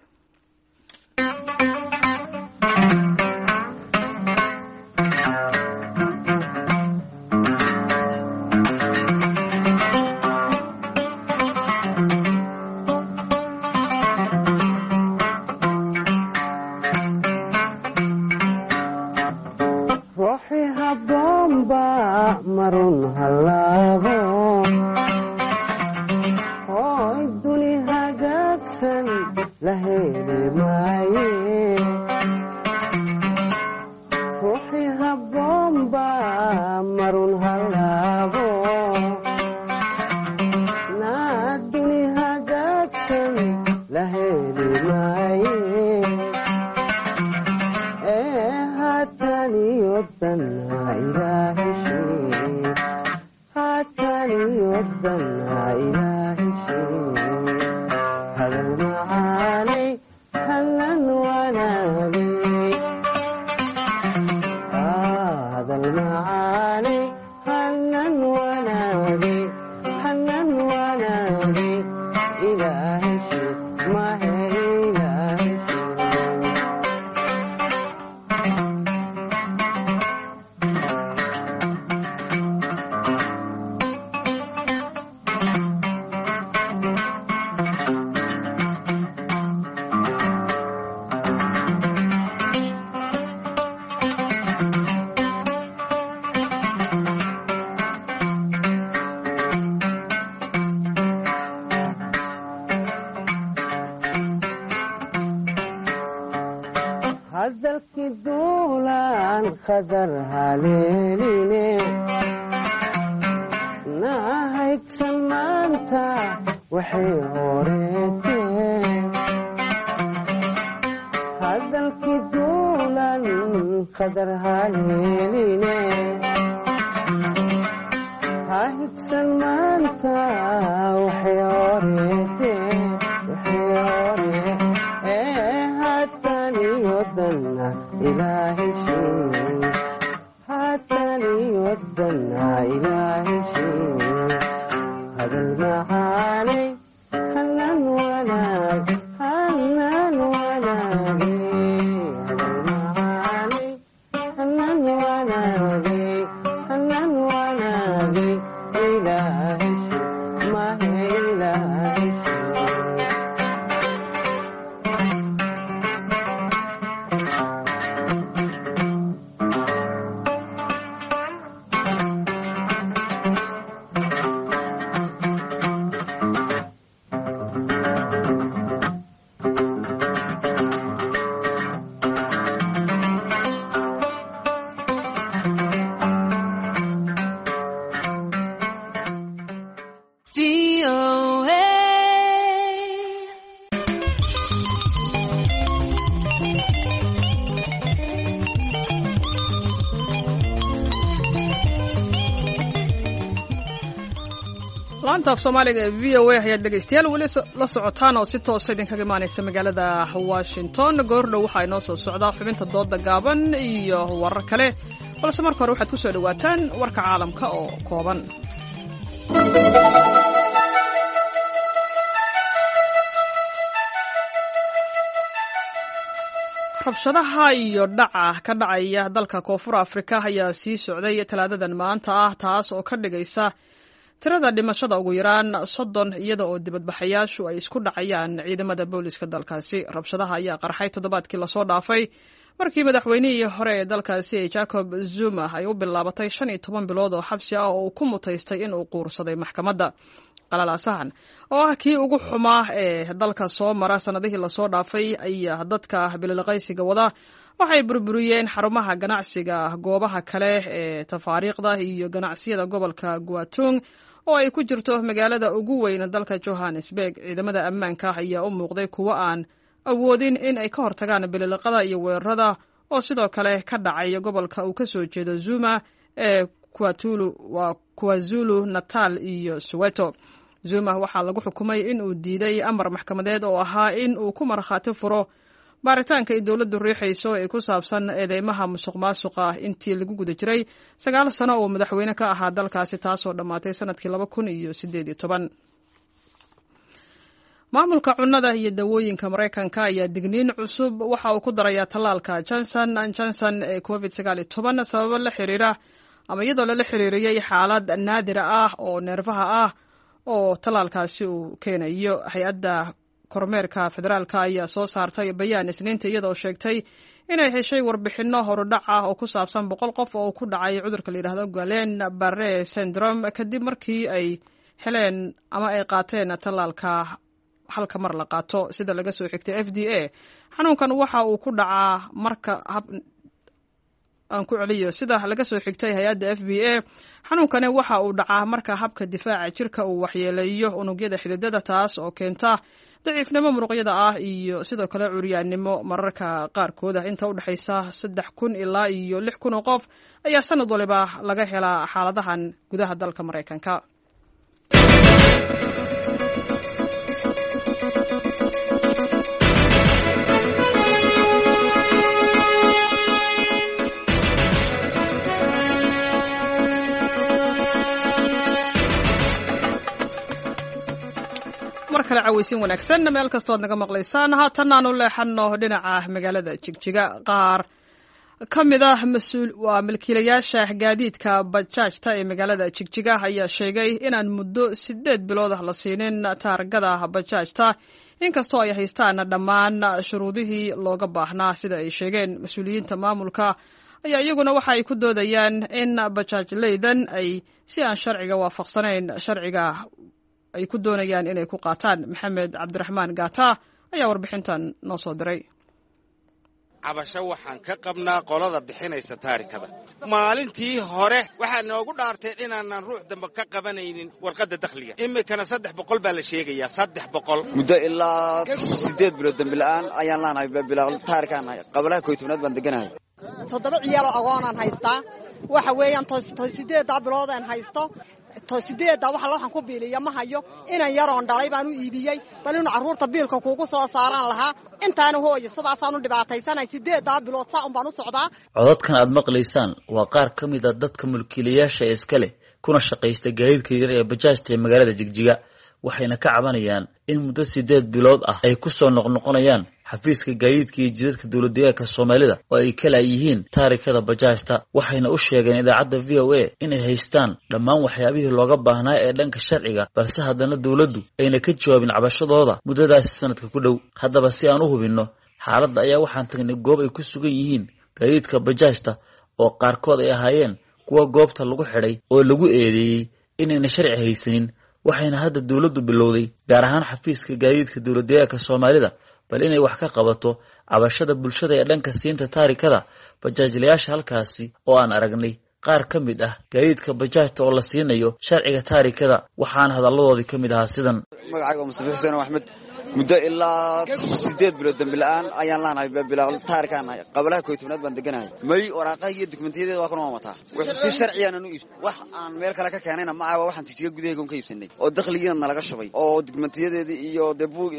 S1: Laanta af Soomaaliga ee VOA ayaad dhegaystayaal weli la socotaan oo si toosa idinkaga imaanaysa magaalada Washington. Goordhow waxaa inoo soo socdaa xubinta dooda gaaban iyo warar kale, balse marka hore waxaad ku soo dhowaataan warka caalamka oo kooban. Rabshadaha iyo dhaca ka dhacaya dalka Koonfur Afrika ayaa sii socday Talaadadan maanta ah, taas oo ka dhigaysa tirada dhimashada ugu yaraan 30, iyada oo dibadbaxayaashu ay isku dhacayaan ciidamada booliska dalkaasi. Rabshadaha ayaa qarxay toddobaadkii lasoo dhaafay markii madaxweynihii hore ee dalkaasi ee Jacob Zuma ay u bilaabatay 15 bilood oo xabsi ah oo uu ku mutaystay inuu quursaday maxkamadda. Qalalaasahan oo ah kii ugu xumaa ee dalka soo mara sannadihii lasoo dhaafay ayaa dadka bililiqaysiga wada waxay burburiyeen xarumaha ganacsiga, goobaha kale ee tafaariiqda iyo ganacsiyada gobolka Guatung oo ay ku jirto magaalada ugu weyn dalka, Johannesburg. Ciidamada ammaanka ayaa u muuqday kuwo aan awoodin in ay ka hortagaan bililiqada iyo weerarada oo sidoo kale ka dhacay gobolka uu ka soo jeedo Zuma ee waa Kwazulu Natal iyo Soweto. Zuma waxaa lagu xukumay in uu diiday amar maxkamadeed oo ahaa in uu ku markhaati furo baaritaanka ay dowladdu riixayso ee ku saabsan eedeymaha musuq maasuqa intii lagu guda jiray 9 sano oo madaxweyne ka ahaa dalkaasi, taasoo dhammaatay sanadkii 2018. Maamulka cunnada iyo dawooyinka Maraykanka ayaa digniin cusub waxa uu ku darayaa tallaalka Johnson and Johnson ee COVID 19 sababo la xiriira ama iyadoo lala xiriiriyey xaalad naadira ah oo neerfaha ah oo tallaalkaasi uu keenayo. Hay-adda kormeerka federaalka ayaa soo saartay bayaan Isniinta, iyadoo sheegtay inay heshay warbixinno horudhac ah oo ku saabsan 100 qof oo ku dhacay cudurka la yidhahdo Guillain Barre syndrome kadib markii ay heleen ama ay qaateen tallaalka halka mar la qaato. Sida laga soo xigtay FDA, xanuunkan waxa uu ku dhacaa marka hab aan ku celiyo. Sida laga soo xigtay hay-adda FDA, xanuunkani waxa uu dhacaa marka habka difaaca jirka uu waxyeeleeyo unugyada xididada, taas oo keenta daciifnimo muruqyada ah iyo sidoo kale curyaannimo mararka qaarkood ah. Inta u dhexaysa 3000 ilaa iyo 6000 oo qof ayaa sanad waliba laga helaa xaaladahan gudaha dalka Maraykanka. Mar kale caweysin wanaagsan meel kastoo ad naga maqlaysaan. Haatan aanu leexano dhinaca magaalada Jigjiga. Qaar ka mid ah mas-uul waa milkiilayaasha gaadiidka bajaajta ee magaalada Jigjiga ayaa sheegay inaan muddo 8 bilood ah la siinin taargada bajaajta, inkastoo ay haystaan dhammaan shuruudihii looga baahnaa, sida ay sheegeen. Mas-uuliyiinta maamulka ayaa iyaguna waxa ay ku doodayaan in bajaajleydan ay si aan sharciga waafaqsanayn sharciga ay ku doonayaan inay ku qaataan. Maxamed Cabdiraxmaan Gaata ayaa warbixintan noo soo diray.
S7: Cabasho waxaan ka qabnaa qolada bixinaysa taarikada. Maalintii hore waxaa noogu dhaarteen inaanan ruux dambe ka qabanaynin warqadda dakhliga. Iminkana 300 baa la sheegayaa, 300.
S8: Muddo ilaa 8 bilood dambi la'aan ayaan laanahay, taarikaan nahay. Qabalaha 11aad baan deganahay.
S9: 7 ciyaaloo agoonaan haystaa. Waxa weeyaan 8-da biloodaan haysto, 8-da waxa waxaan ku biiliya ma hayo. Inan yaroon dhalay baan u iibiyey, bal inuu carruurta biilka kuugu soo saaraan lahaa. Intaana hooye sidaasaan u dhibaataysanay, 8-daa bilood saa un baan u socdaa.
S10: Codadkan aad maqlaysaan waa qaar ka mid a dadka mulkiilayaasha ee iska leh kuna shaqaysta gaadiidka yar ee bajaajta ee magaalada Jigjiga, waxayna ka cabanayaan in muddo 8 bilood ah ay ku soo noqnoqonayaan xafiiska gaadiidka iyo jidadka dowlad deegaanka Soomaalida oo ay kala yihiin taarikada bajaajta. Waxayna u sheegeen idaacadda VOA inay haystaan dhammaan waxyaabihii looga baahnaa ee dhanka sharciga, balse haddana dowladdu ayna ka jawaabin cabashadooda muddadaasi sanadka ku dhow. Haddaba si aan u hubinno xaaladda ayaa waxaan tagnay goob ay ku sugan yihiin gaadiidka bajaajta oo qaarkood ay ahaayeen kuwa goobta lagu xidhay oo lagu eedeeyey inayna sharci haysanin. Waxayna hadda dowladdu bilowday, gaar ahaan xafiiska gaadiidka dowlad deegaanka Soomaalida, bal inay wax ka qabato cabashada bulshada ee dhanka siinta taarikada bajaajlayaasha halkaasi oo aan aragnay qaar ka mid ah gaadiidka bajaajta oo la siinayo sharciga taarikada. Waxaana hadalladoodii ka mid ahaa sidan.
S8: Magacayga waa Mustafa Xuseen Axmed. Muddo ilaa 8 bilood dambi la'aan ayaan laanahay, bilaa taarikaan nahay. Qabalaha 11aad baan deganahay. May, waraaqaha iyo dukumentiyadeda waa kuna waan wataa. Wix si sharciyaanan u iibs, wax aan meel kale ka keenayna ma aha. Waxaan Jigjiga gudaheega un ka iibsanay oo dakhligiina nalaga shubay oo dukumentiyadeedii iyo dee buug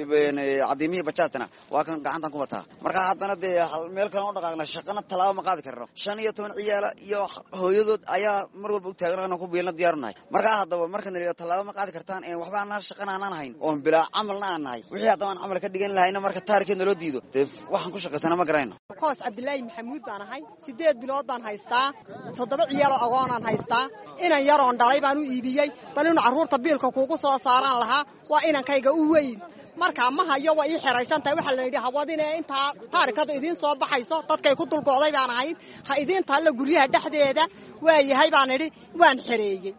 S8: cadiimihii bajaajtana waa kan gacantan ku wataa. Marka haddana dee meel kale u dhaqaaqna, shaqana tallaabo ma qaadi karno. 15 ciyaala iyo hooyadood ayaa mar walba u taagan ku biilna diyaarunahay. Markaa haddaba marka nala tallaabo ma qaadi kartaan, waxba anaa shaqana aanaan hayn oon bilaa camalna aan nahay, wixii haddaba aan camal ka dhigan lahayna marka taarikeed naloo diido, dee waxaan ku shaqaysana ma garayno.
S9: Koos Cabdilaahi Maxamuud baan ahay. 8 bilood baan haystaa, 7 ciyaaloo agoonaan haystaa. Inan yaroon dhalay baan u iibiyey bal inuu carruurta biilka kuugu soo saaraan lahaa. Waa inankayga u weyn. Markaa ma hayo, waa ii xeraysan tahay. Waxaa la yidhi hawadine intaa taarikadu idiin soo baxayso, dadkay ku dulgo'day baan ahayn, ha idiin taalla guryaha dhexdeeda. Waa yahay baan idhi, waan xereeyey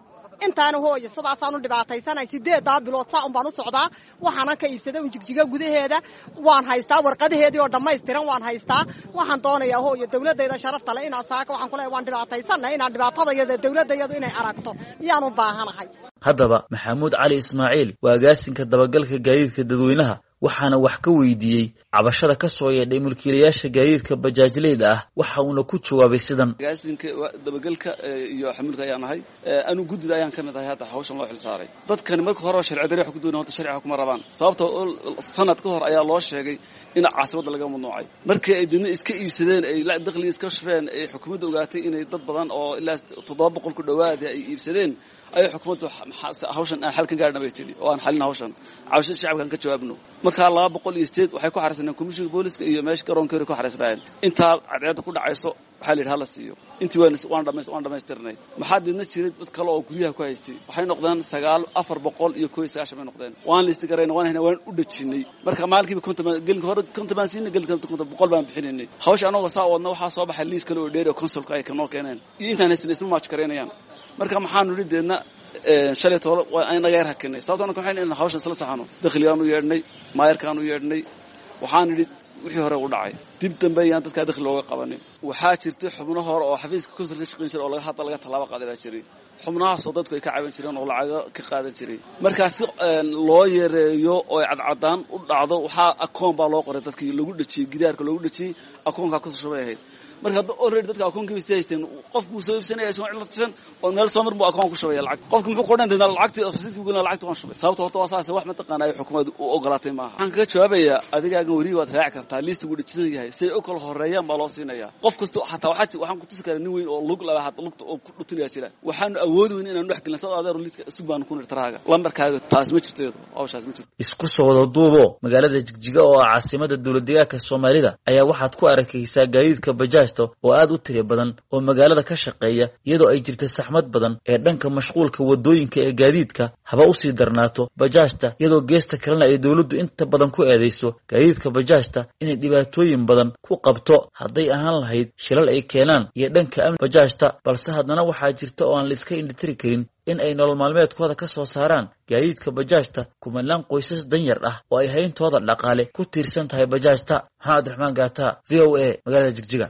S9: intaana. Hooya, sidaasaan u dhibaataysanay. 8-daa bilood saa un baan u socdaa. Waxaanan ka iibsaday un Jigjiga gudaheeda. Waan haystaa warqadaheedii oo dhammaystiran, waan haystaa. Waxaan doonayaa, hooyo, dawladdayda sharafta le inaa saaka waxaan ku leeyahay waan dhibaataysanay, inaan dhibaatadayada dawladdayadu inay aragto iyaan u baahanahay.
S10: Haddaba Maxamuud Cali Ismaaciil waa agaasinka dabagalka gaadiidka dadweynaha, waxaana wax ka weydiiyey cabashada ka soo yeedhay mulkiilayaasha gaadiidka bajaajleyda ah, waxa uuna ku jawaabay sidan.
S11: Agaasinka dabagalka iyo xamuulka ayaan ahay. Anu guddida ayaan ka mid ahay hadda hawshan loo xil saaray. Dadkani marka hore sharci darri wax ku doonay, horta sharciga kuma rabaan, sababtoo sanad ka hor ayaa loo sheegay in caasimadda laga mamnuucay. Markii ay didna iska iibsadeen, ay dakhliga iska shubeen, ay xukuumadda ogaatay inay dad badan oo ilaa 700 ku dhowaada ay iibsadeen, ayay xukuumaddu hawshan aan xal ka gaarna bay tidhi, oo aan xalin hawshan, cabashada shacabkaan ka jawaabno. Markaa 208 waxay ku xariisneen komishinka booliska iyo meesha garoonkeeda ku xariisnaayeen. Intaa cadceedda ku dhacayso waxaa la yidhi hala siiyo. Intii waan dhamaystirnay. Maxaa deedna jiray dad kale oo guryaha ku haystay, waxay noqdeen 9 491 bay noqdeen. Waan listi garayna, waan haynay, waan u dhajinay. Marka maalinkiiba 50 baan, gelinka hore 50 baan siinay, gelinka 50, 100 baan bixinaynay. Hawsha anagoo saa wadna waxaa soo baxay liis kale oo dheeri oo consulka ay kanoo keeneen iyo intaan haysana isma match garaynayaan. Marka maxaanu nidhi deedna shalay toole waa inaga yar hakinay, sababto anaka waxayn in hawshan isla saxano. Dakhligaan u yeedhnay, maayarkaan u yeedhnay, waxaan nidhi wixii hore u dhacay dib dambe ayaan dadkaa dakhli looga qabanin. Waxaa jirtay xubno hore oo xafiiska consul ka shaqayn jiray oo laga hadda laga tallaabo qaaday baa jiray, xubnahaasoo dadku ay ka caban jireen oo lacago ka qaadan jiray. Markaa si loo yareeyo oo ay cadcadaan u dhacdo, waxaa akoon baa loo qoray dadkii lagu dhejiyey gidaarka loogu dhejiyey, akoonkaa kusoo shubay ahayd. Marka hadda already dadka akoonkii bay sii haysteen. Qofku soo iibsanaya isagoo cid la tirsan oo meel soo mar buu akoon ku shubaya lacag. Qofku muxuu qoran doonaa? Lacagtii rasiidkii gelina, lacagtii waan shubay. Sababta horta waa saas, wax mataqaanaa ay xukuumaddu u ogolaatay maaha. Waxaan kaga jawaabayaa adigaagan werihi, waad raaci kartaa liistigu dhejisan yahay, siday u kala horeeyaan baa loo siinayaa qof kasto. Xataa waxaan ku tusi karaa nin weyn oo lug laba hada lugta oo ku dhutinaya jira. Waxaanu awoodi weyn inaanu dhex gelin sad adeer liiska isug baanu ku niri taraaga lambarkaaga. Taas ma jirto, iyadu hawshaas ma jirto.
S10: Isku soo wada duubo, magaalada Jigjiga oo ah caasimada dowladdeegaanka Soomaalida ayaa waxaad ku arkaysaa gaadiidka bajaajta oo aad u tiro badan oo magaalada ka shaqeeya, iyadoo ay jirta saxmad badan ee dhanka mashquulka waddooyinka ee gaadiidka haba usii darnaato bajaajta, iyadoo geesta kalena ay dowladdu inta badan ku eedayso gaadiidka bajaajta inay dhibaatooyin badan ku qabto, hadday ahaan lahayd shilal ay keenaan iyo dhanka amni bajaajta. Balse haddana waxaa jirta oo aan la iska indhitiri karin in ay nolol maalmeedkooda ka soo saaraan gaadiidka bajaajta kumanaan qoysas danyar ah oo ay hayntooda dhaqaale ku tiirsan tahay bajaajta. Maxamed Cabdiraxmaan Gaata, VOA, magaalada Jigjiga.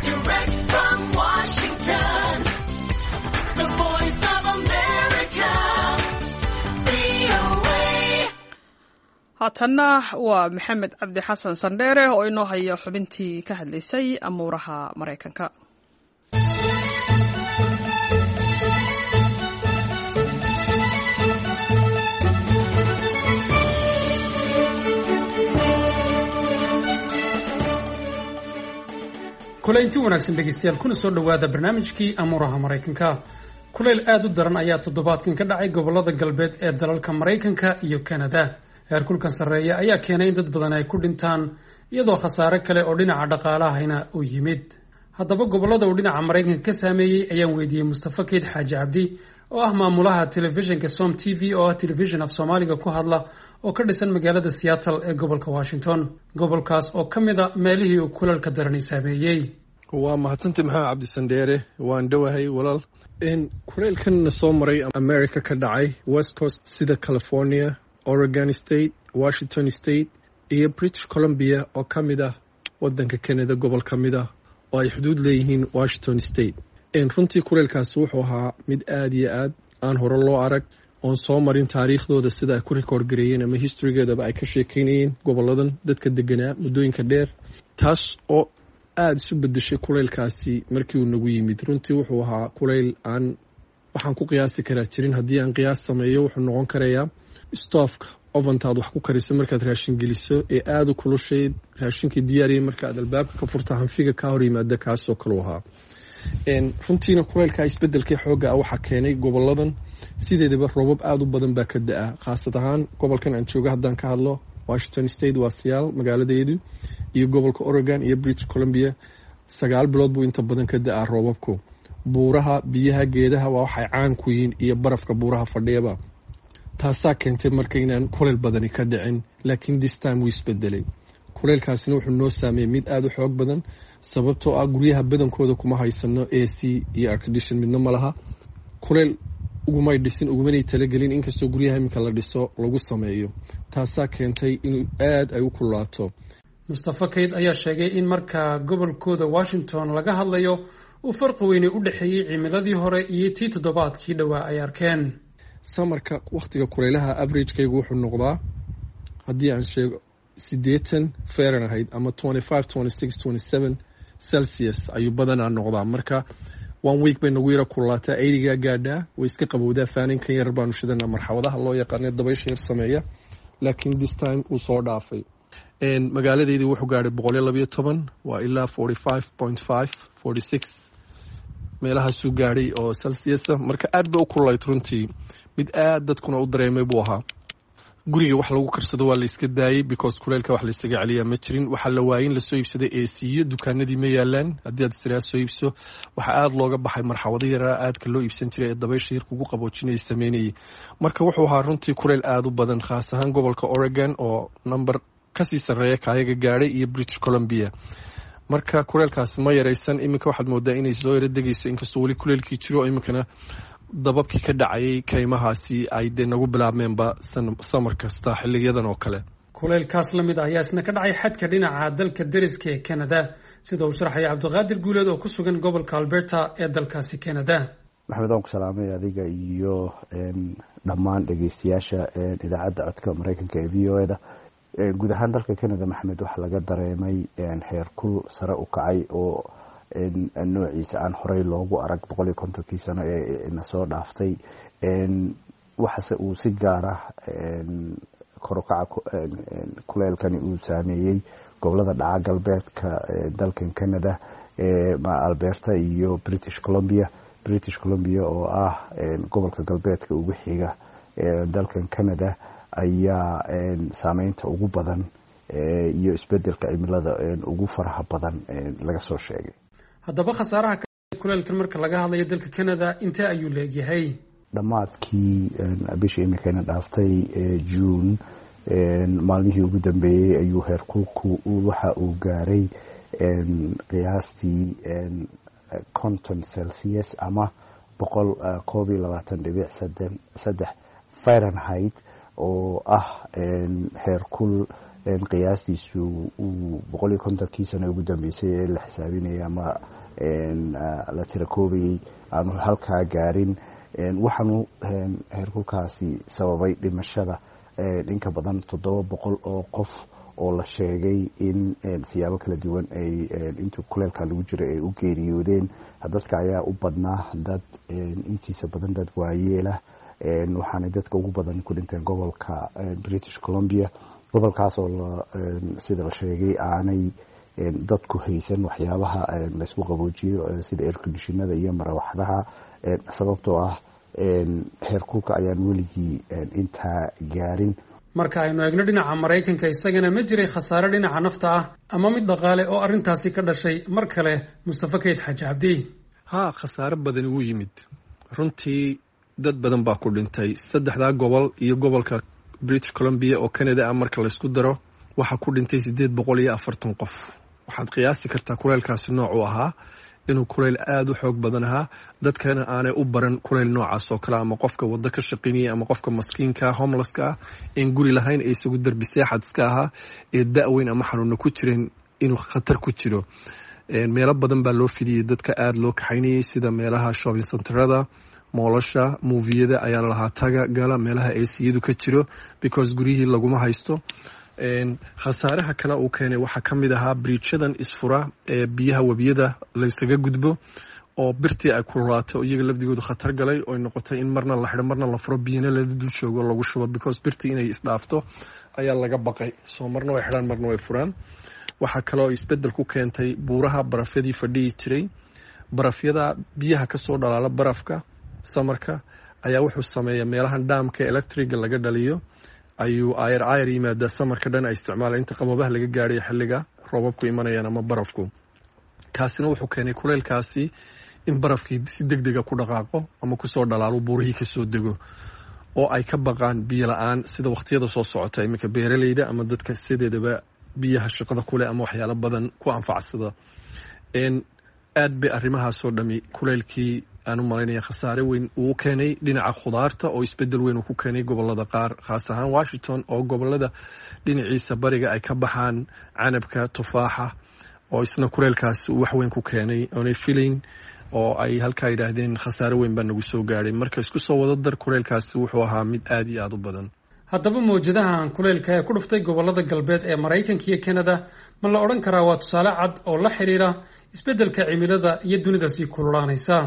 S12: Direct from Washington, the Voice of America, VOA.
S1: Haatanna waa Maxamed Cabdi Xasan Sandheere oo inoo haya xubintii ka hadlaysay amuuraha Maraykanka.
S13: Kulaynti wanaagsan dhegeystayaal, kuna soo dhowaada barnaamijkii amuuraha Maraykanka. Kulayl aad u daran ayaa toddobaadkan ka dhacay gobolada galbeed ee dalalka Maraykanka iyo Kanada. Heerkulkan sarreeya ayaa keenay in dad badan ay ku dhintaan, iyadoo khasaare kale oo dhinaca dhaqaalahayna uu yimid. Haddaba gobolada uu dhinaca Maraykanka ka saameeyey ayaan weydiiyey Mustafa Keyd Xaaji Cabdi oo ah maamulaha telefishinka Som TV, oo ah telefishin af Soomaaliga ku hadla oo ka dhisan magaalada Seattle ee gobolka Washington, gobolkaas oo ka mid a meelihii uu kulalka darani saameeyey.
S14: Waa mahadsantay, Maxamed Cabdisandheere. Waan dhowahay, walaal. Kuleylkan soo maray America ka dhacay West Coast sida California, Oregon State, Washington State iyo British Columbia oo ka mid ah wadanka Canada, gobol ka mid ah oo ay xuduud leeyihiin Washington State. Runtii kuleylkaasi wuxuu ahaa mid aada iyo aad aan hore loo arag. Oon soo marin taariikhdooda sida ay ku record gareeyeen ama historygeedaba ay ka sheekeynayeen goboladan dadka deganaa muddooyinka dheer, taas oo aada isu bedeshay kuleylkaasi markii uu nagu yimid. Runtii wuxuu ahaa kuleyl aan waxaan ku qiyaasi karaa jirin. Haddii aan qiyaas sameeyo, wuxuu noqon karayaa stoofka oventaad wax ku kariso markaad raashin geliso ee aada u kulushayd, raashinkii diyaariyay, marka aad albaabka ka furta hanfiga kaa hor yimaada, kaasoo kaleu ahaa. Runtiina kuleylka isbedelkii xoogga ah waxaa keenay goboladan sideedaba roobab aada u badan baa ka da-a, khaasad ahaan gobolkan aan jooga haddaan ka hadlo, Washington State, waa Seattle magaaladeedu, iyo gobolka Oregon iyo British Columbia. 9 bilood buu inta badan ka da-aa roobabku. Buuraha, biyaha, geedaha waa waxay caan ku yihiin iyo barafka buuraha fadhiyaba. Taasaa keentay marka inaan kuleyl badani ka dhicin, laakiin this time wuu isbedelay. Kuleylkaasina wuxuu noo saameeyey mid aada u xoog badan, sababtoo ah guryaha badankooda kuma haysano AC iyo air condition, midna ma laha. Kuleyl ugumay dhisin, ugumanay talagelin, inkastoo guryaha iminka la dhiso lagu sameeyo. Taasaa keentay inuu aada ay u kululaato.
S13: Mustafa Kayd ayaa sheegay in marka gobolkooda Washington laga hadlayo uu farqi weyne u dhexeeyey cimiladii hore iyo tii toddobaadkii dhowaa ay arkeen.
S14: Summerka, wakhtiga kuleylaha, averagekaygu wuxuu noqdaa, haddii aan sheego, 80 Fahrenheit ama 25, 26, 27 Celsius ayuu badanaa noqdaa. Marka one week bay nagu yaro kululaataa, 80-gaa gaadhaa, way iska qabowdaa, faaninkan yar baanu shidanaa, marxawadaha loo yaqaana dabaysha yar sameeya, laakiin this time wuu soo dhaafay. Magaaladeydii wuxuu gaadhay 112, waa ilaa 45.5, 46 meelahaasuu gaadhay oo Celsius. Marka aad bay u kululayd runtii, mid aad dadkuna u dareemay buu ahaa. Guriga wax lagu karsado waa la iska daayey, because kuleylka wax laysaga celiyaa ma jirin. Waxaa la waayey in lasoo iibsaday AC-yo, dukaanadii ma yaalaan. Haddii aad israa soo iibso, waxaa aada looga baxay marxawado yaraa aadka loo iibsan jiray ee dabaysha yar kugu qaboojinaya sameynayay. Marka wuxuu ahaa runtii kuleyl aada u badan, khaas ahaan gobolka Oregon oo number kasii sarreeya kaayaga gaadhay iyo British Columbia. Marka kuleylkaasi ma yaraysan. Iminka waxaad moodaa inay soo yaro degayso, inkastoo weli kuleylkii jiro. Iminkana dababkii ka dhacayay kaymahaasi ay dee nagu bilaabmeenba summer kasta xiliyadan oo kale.
S13: Kuleylkaas la mid ah ayaa isna ka dhacay xadka dhinaca dalka deriska ee Canada, sida uu sharaxaya Cabdiqaadir Guuleed oo ku sugan gobolka Alberta ee dalkaasi Canada.
S15: Maxamed, waan ku salaamay adiga iyo dhammaan dhegeystayaasha idaacadda codka Mareykanka ee VOA da. Guud ahaan dalka Canada, Maxamed, waxaa laga dareemay heerkul sare u kacay oo noociisa aan horey loogu arag 150-kii sano ee na soo dhaaftay. Waxase uu si gaar ah kor u kaca kuleelkani uu saameeyey gobolada dhaca galbeedka dalkan Canada, Alberta iyo British Columbia. British Columbia oo ah gobolka galbeedka ugu xiga dalkan Canada ayaa saameynta ugu badan iyo isbedelka cimilada ugu faraha badan laga soo sheegay.
S13: Haddaba khasaaraha kuleelkan marka laga hadlayo dalka Canada intee ayuu leegyahay?
S15: Dhammaadkii bishii iminkayna dhaaftay June, maalmihii ugu dambeeyey, ayuu heerkulku waxa uu gaaray qiyaastii 50 Celsius ama 121.3 Fahrenheit, oo ah heerkul qiyaastiisu uu 150-kii sano ugu dambeysay ee la xisaabinayay ama la tirakoobayay aanu halkaa gaarin. Waxaanu heerkulkaasi sababay dhimashada inka badan 700 oo qof oo la sheegay in siyaabo kala duwan ay intuu kuleelka lagu jiray ay u geeriyoodeen. Dadka ayaa u badnaa dad intiisa badan dad waayeelah, waxaanay dadka ugu badan ku dhinteen gobolka British Columbia, gobolkaas oo sida la sheegay aanay dadku haysan waxyaabaha laysku qaboojiyo sida airconditionada iyo marawaxadaha, sababtoo ah heerkulka ayaan weligii intaa gaarin.
S13: Marka aynu eegno dhinaca Maraykanka, isagana ma jiray khasaare dhinaca nafta ah ama mid dhaqaale oo arrintaasi ka dhashay? Mar kale Mustafa Kayd Xaaji Cabdi.
S14: Haa, khasaare badani wuu yimid runtii. Dad badan baa ku dhintay saddexdaa gobol iyo gobolka British Columbia oo Canada ah. Marka laysku daro waxaa ku dhintay 840 qof. Waxaad qiyaasi kartaa kuleylkaasi noocuu ahaa, inuu kuleyl aada u xoog badan ahaa, dadkana aanay u baran kuleyl noocaas oo kale, ama qofka waddo ka shaqaynayay ama qofka maskiinka homelesska ah een guri lahayn ee isagu derbi seexad iska ahaa ee da-weyn ama xanuuna ku jireen inuu khatar ku jiro. Meelo badan baa loo fidiyey dadka aada loo kaxaynayay, sida meelaha shopping centerada, Mallasha, movieyada ayaa lalahaa taga gala meelaha ACyadu ka jiro, because guryihii laguma haysto. Khasaaraha kale uu keenay waxaa ka mid ahaa bridgeyadan isfura ee biyaha webiyada laysaga gudbo oo birtii ay kululaato, iyaga lafdigoodu khatar galay, oy noqotay in marna la xidho, marna la furo, biyana la dul joogo lagu shubo, because birtii inay isdhaafto ayaa laga baqay. Soo marna way xidhaan, marna way furaan. Waxaa kaloo isbedel ku keentay buuraha barafyadii fadhiyi jiray. Barafyada biyaha kasoo dhalaala barafka summerka ayaa wuxuu sameeyaa meelahan dhaamka electricga laga dhaliyo ayuu ayar ayar yimaadaa. Summerka dhan ay isticmaalaan inta qaboobaha laga gaadhayo, xilliga roobabku imanayaan ama barafku. Kaasina wuxuu keenay kuleylkaasi in barafkii si deg dega ku dhaqaaqo ama kusoo dhalaalo, buurihii kasoo dego, oo ay ka baqaan biyo la-aan sida waqtiyada soo socota. Iminka beeraleyda ama dadka sideedaba biyaha shaqada kuleh ama waxyaalo badan ku anfacsada, aad bay arrimahaasoo dhami kuleylkii aan u malaynaya khasaare weyn uu keenay dhinaca khudaarta, oo isbedel weyn uu ku keenay gobolada qaar, khaas ahaan Washington oo gobolada dhinaciisa bariga ay ka baxaan canabka, tufaaxa, oo isna kuleylkaasi uu wax weyn ku keenay oonay filayn, oo ay halkaa yidhaahdeen khasaare weyn baa nagu soo gaadhay. Marka isku soo wada dar, kuleylkaasi wuxuu ahaa mid aada iyo aada u badan.
S13: Haddaba mawjadahan kuleylka ee ku dhuftay gobolada galbeed ee Maraykanka iyo Kanada ma la odhan karaa waa tusaale cad oo la xiriira isbeddelka cimilada iyo dunida sii kululaanaysa?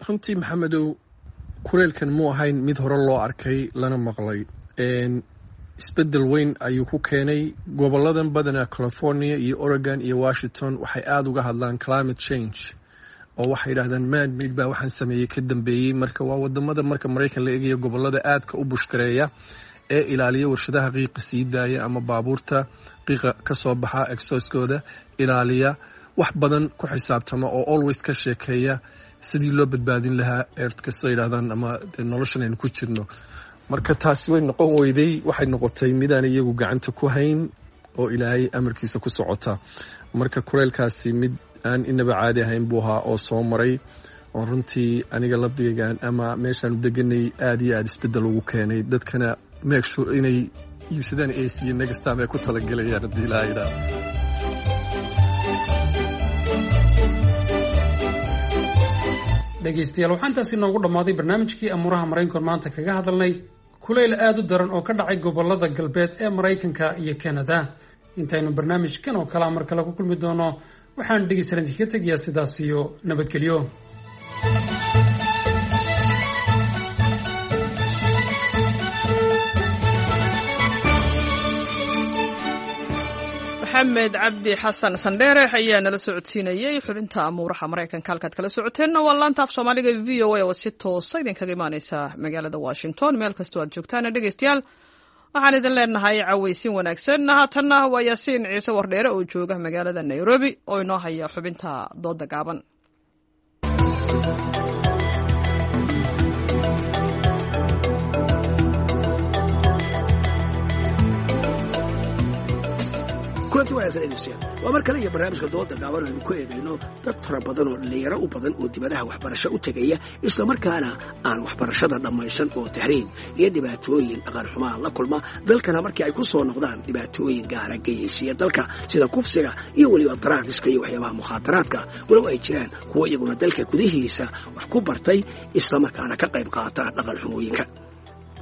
S14: Runtii, Maxamedow, kuleylkan muu ahayn mid hore loo arkay lana maqlay. Isbedel weyn ayuu ku keenay goboladan badanaa, California iyo Oregon iyo Washington. Waxay aada uga hadlaan climate change oo waxay yidhahdaan man made baa waxaan sameeyey ka dambeeyey. Marka waa wadamada, marka Maraykan la eegayo, gobolada aadka u pushgareeya ee ilaaliya warshadaha qiiqa sii daaya ama baabuurta qiiqa kasoo baxa exhauskooda ilaaliya, wax badan ku xisaabtama oo always ka sheekeeya sidii loo badbaadin lahaa earthka, sida yidhahdaan, ama noloshan aynu ku jirno. Marka taasi way noqon weyday, waxay noqotay midaan iyagu gacanta ku hayn oo Ilaahay amarkiisa ku socota. Marka kuleylkaasi mid aan inaba caadi ahayn buu ahaa oo soo maray, oo runtii aniga lafdigaygan ama meeshaanu deganay aada iyo aada isbedel ugu keenay. Dadkana make sure inay iibsadaan AC next time ay ku talagelayaan haddii Ilaahay yidhaahdo.
S13: Dhegaystayaal, waxaa intaasi noogu dhammaaday barnaamijkii amuuraha Maraykanka maanta kaga hadalnay kulayl aada u daran oo ka dhacay gobolada galbeed ee Maraykanka iyo Kanada. Intaynu barnaamijkan oo kalea mar kale ku kulmi doono, waxaan dhegeystayaal idinkaga tegayaa sidaas iyo nabadgelyo.
S1: Maxamed Cabdi Xasan Sandheere ayaa nala socodsiinayey xubinta amuuraha Maraykanka. Halkaad kala socoteenna waa laanta af Soomaaliga VOA oo si toosa idinkaga imaaneysa magaalada Washington. Meel kastoo aad joogtaana, dhegeystayaal, waxaan idin leenahay cawaysiin wanaagsan. Haatanna waa Yaasiin Ciise Wardheere oo jooga magaalada Nairobi oo inoo haya xubinta dooda gaaban.
S5: Kulanti wanaagsan, dhegeystayaal. Waa mar kale iyo barnaamijka dooda gaaban aynu ku eegayno dad fara badan oo dhallinyaro u badan oo dibadaha waxbarasho u tegaya, islamarkaana aan waxbarashada dhammaysan, oo tahriib iyo dhibaatooyin dhaqan xumaa la kulma dalkana markii ay ku soo noqdaan dhibaatooyin gaara geyaysiya dalka, sida kufsiga iyo weliba drugska iyo waxyaabaha mukhaadaraadka, walow ay jiraan kuwo iyaguna dalka gudihiisa wax ku bartay islamarkaana ka qayb qaata dhaqan xumooyinka.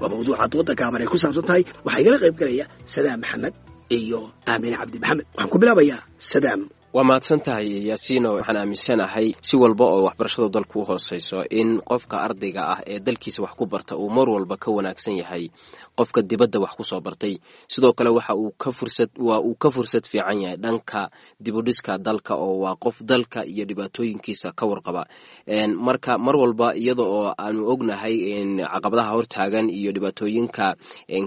S5: Waa mawduuca dooda gaaban ay ku saabsan tahay. Waxaa igala qayb galaya Sadaam Maxamed iyo Aamine Cabdi Maxamed. Waxaan ku bilaabayaa Sadaam.
S16: Waa mahadsan tahay, Yaasiino. Waxaan aaminsanahay si walba oo waxbarashadu dalku u hooseyso in qofka ardayga ah ee dalkiisa wax ku barta uu mar walba ka wanaagsan yahay qofka dibadda wax kusoo bartay. Sidoo kale waxa uu ka fursad waa uu ka fursad fiican yahay dhanka dibudhiska dalka, oo waa qof dalka iyo dhibaatooyinkiisa ka warqaba. Marka mar walba iyada oo aanu ognahay caqabadaha hortaagan iyo dhibaatooyinka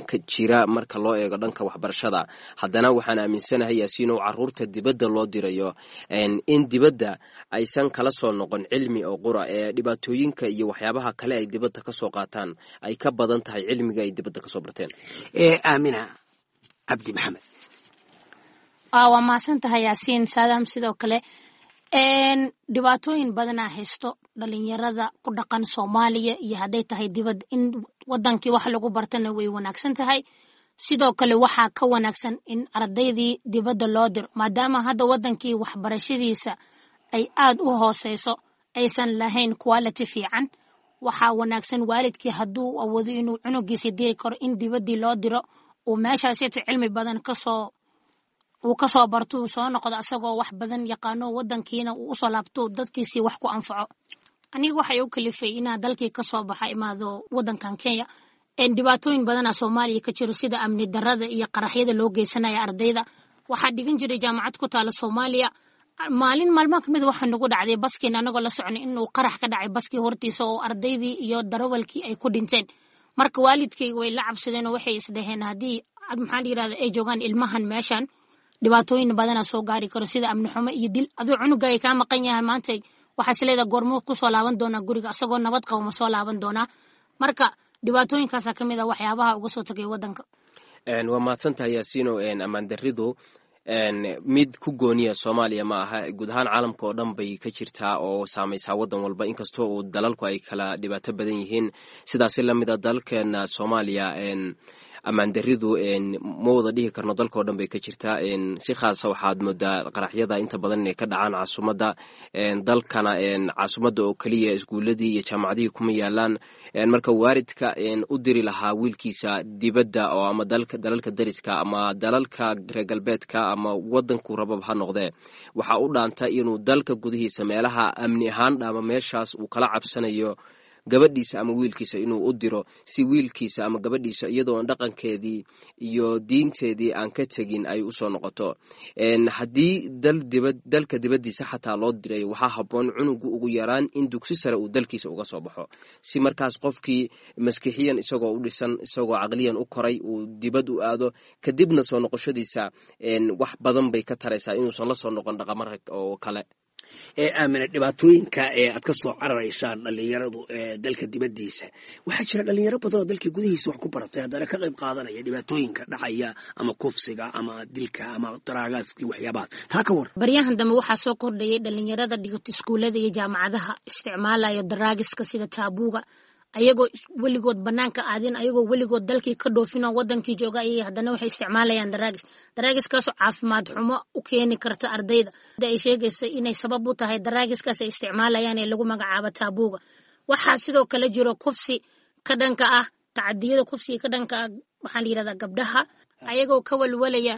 S16: ka jira marka loo eego dhanka waxbarashada, haddana waxaan aaminsanahay, Yaasiino, caruurta dibadda loo diray in dibadda aysan kala soo noqon cilmi oo qura ee dhibaatooyinka iyo waxyaabaha kale ay dibadda kasoo qaataan ay ka badan tahay cilmiga ay dibadda kasoo barteen.
S5: Aamina Cabdi Maxamed.
S17: Waa mahadsan tahay, Yaasiin. Saadaam sidoo kale, dhibaatooyin badanaa haysto dhalinyarada ku dhaqan Soomaaliya iyo hadday tahay dibad. In wadankii wax lagu bartana way wanaagsan tahay, sidoo kale waxaa ka wanaagsan in ardaydii dibadda loo diro, maadaama hadda wadankii waxbarashadiisa ay aad u hooseyso, aysan lahayn quality fiican. Waxaa wanaagsan waalidkii hadduu awoodo inuu cunugiisa diri karo in dibaddii loo diro, uu meeshaasita cilmi badan kasoo uu kasoo barto, uu soo noqdo asagoo wax badan yaqaano, wadankiina uu usoo laabto, dadkiisii wax ku anfaco. Aniga waxay u kalifay inaa dalkii kasoo baxa, imaado wadankan Kenya, dhibaatooyin badana Soomaaliya ka jiro, sida amni darada iyo qaraxyada loo geysanaya ardayda. Waxaa dhigan jiray jaamacad ku taala Soomaaliya. Maalin maalmaha kamid waxaa nagu dhacday baskiina anagoo la soconay inuu qarax ka dhacay baskii hortiisa, oo ardaydii iyo darawalkii ay ku dhinteen. Marka waalidkayga way la cabsadeen oo waxay isdhaheen haddii, maxaa la yirahda, ay joogaan ilmahan meeshan, dhibaatooyin badana soo gaari karo, sida amni xumo iyo dil. Aduu cunugaaga kaa maqan yahay maanta, waxaa is leedahay goormuu kusoo laaban doonaa guriga, isagoo nabad qabo ma soo laaban doonaa? Marka dhibaatooyinkaasaa ka mid ah waxyaabaha uga soo tagay wadanka.
S16: Waa mahadsantahay, Yaasiino. Ammaan daridu mid ku gooniya Soomaaliya ma aha, guud ahaan caalamka oo dhan bay ka jirtaa oo saamaysaa waddan walba, inkastoo uu dalalku ay kala dhibaato badan yihiin. Sidaasi lamid a dalkeena Soomaaliya ammaan daridu ma wada dhihi karno dalka oo dhan bay ka jirtaa. Si khaasa waxaad moodaa qaraxyada inta badan inay ka dhacaan caasimadda dalkana. Caasimadda oo keliya iskuuladii iyo jaamacadihii kuma yaalaan. Marka waalidka u diri lahaa wiilkiisa dibadda oo ama dalalka dariska ama dalalka reer galbeedka ama wadanku rabab ha noqdee, waxaa u dhaanta inuu dalka gudihiisa meelaha amni ahaan dhaama, meeshaas uu kala cabsanayo, gabadhiisa ama wiilkiisa inuu u diro, si wiilkiisa ama gabadhiisa iyadoon dhaqankeedii iyo diinteedii aan ka tegin ay usoo noqoto. Haddii dalka dibaddiisa xataa loo dirayo, waxaa habboon cunugu ugu yaraan in dugsi sare uu dalkiisa uga soo baxo, si markaas qofkii maskixiyan isagoo u dhisan, isagoo caqliyan u koray, uu dibad u aado, kadibna soo noqoshadiisa wax badan bay ka taraysaa inuusan la soo noqon dhaqamara oo kale.
S5: Ee Aamina, dhibaatooyinka ee aad ka soo cararaysaan dhalinyaradu ee dalka dibaddiisa, waxaa jira dhalinyaro badan oo dalka gudihiisa wax ku baratay haddana ka qayb qaadanaya dhibaatooyinka dhacaya, ama kufsiga ama dilka ama daraagaaskii, waxyaabahaas. Taa ka war.
S17: Baryahan dambe waxaa soo kordhayay dhalinyarada dhigato iskuullada iyo jaamacadaha isticmaalayo daraagiska sida taabuuga, ayagoo weligood banaanka aadin, ayagoo weligood dalkii ka dhoofinoo wadankii jooga ayay haddana waxay isticmaalayaan daraagis, daraagiskaasoo caafimaad xumo u keeni karta ardayda. Ay sheegaysa inay sabab u tahay daraagiskaas ay isticmaalayaan ee lagu magacaabo taabuuga. Waxaa sidoo kale jiro kufsi ka dhanka ah, tacadiyada kufsiga ka dhanka ah, waxaa la yirahdaa gabdhaha, ayagoo ka walwalaya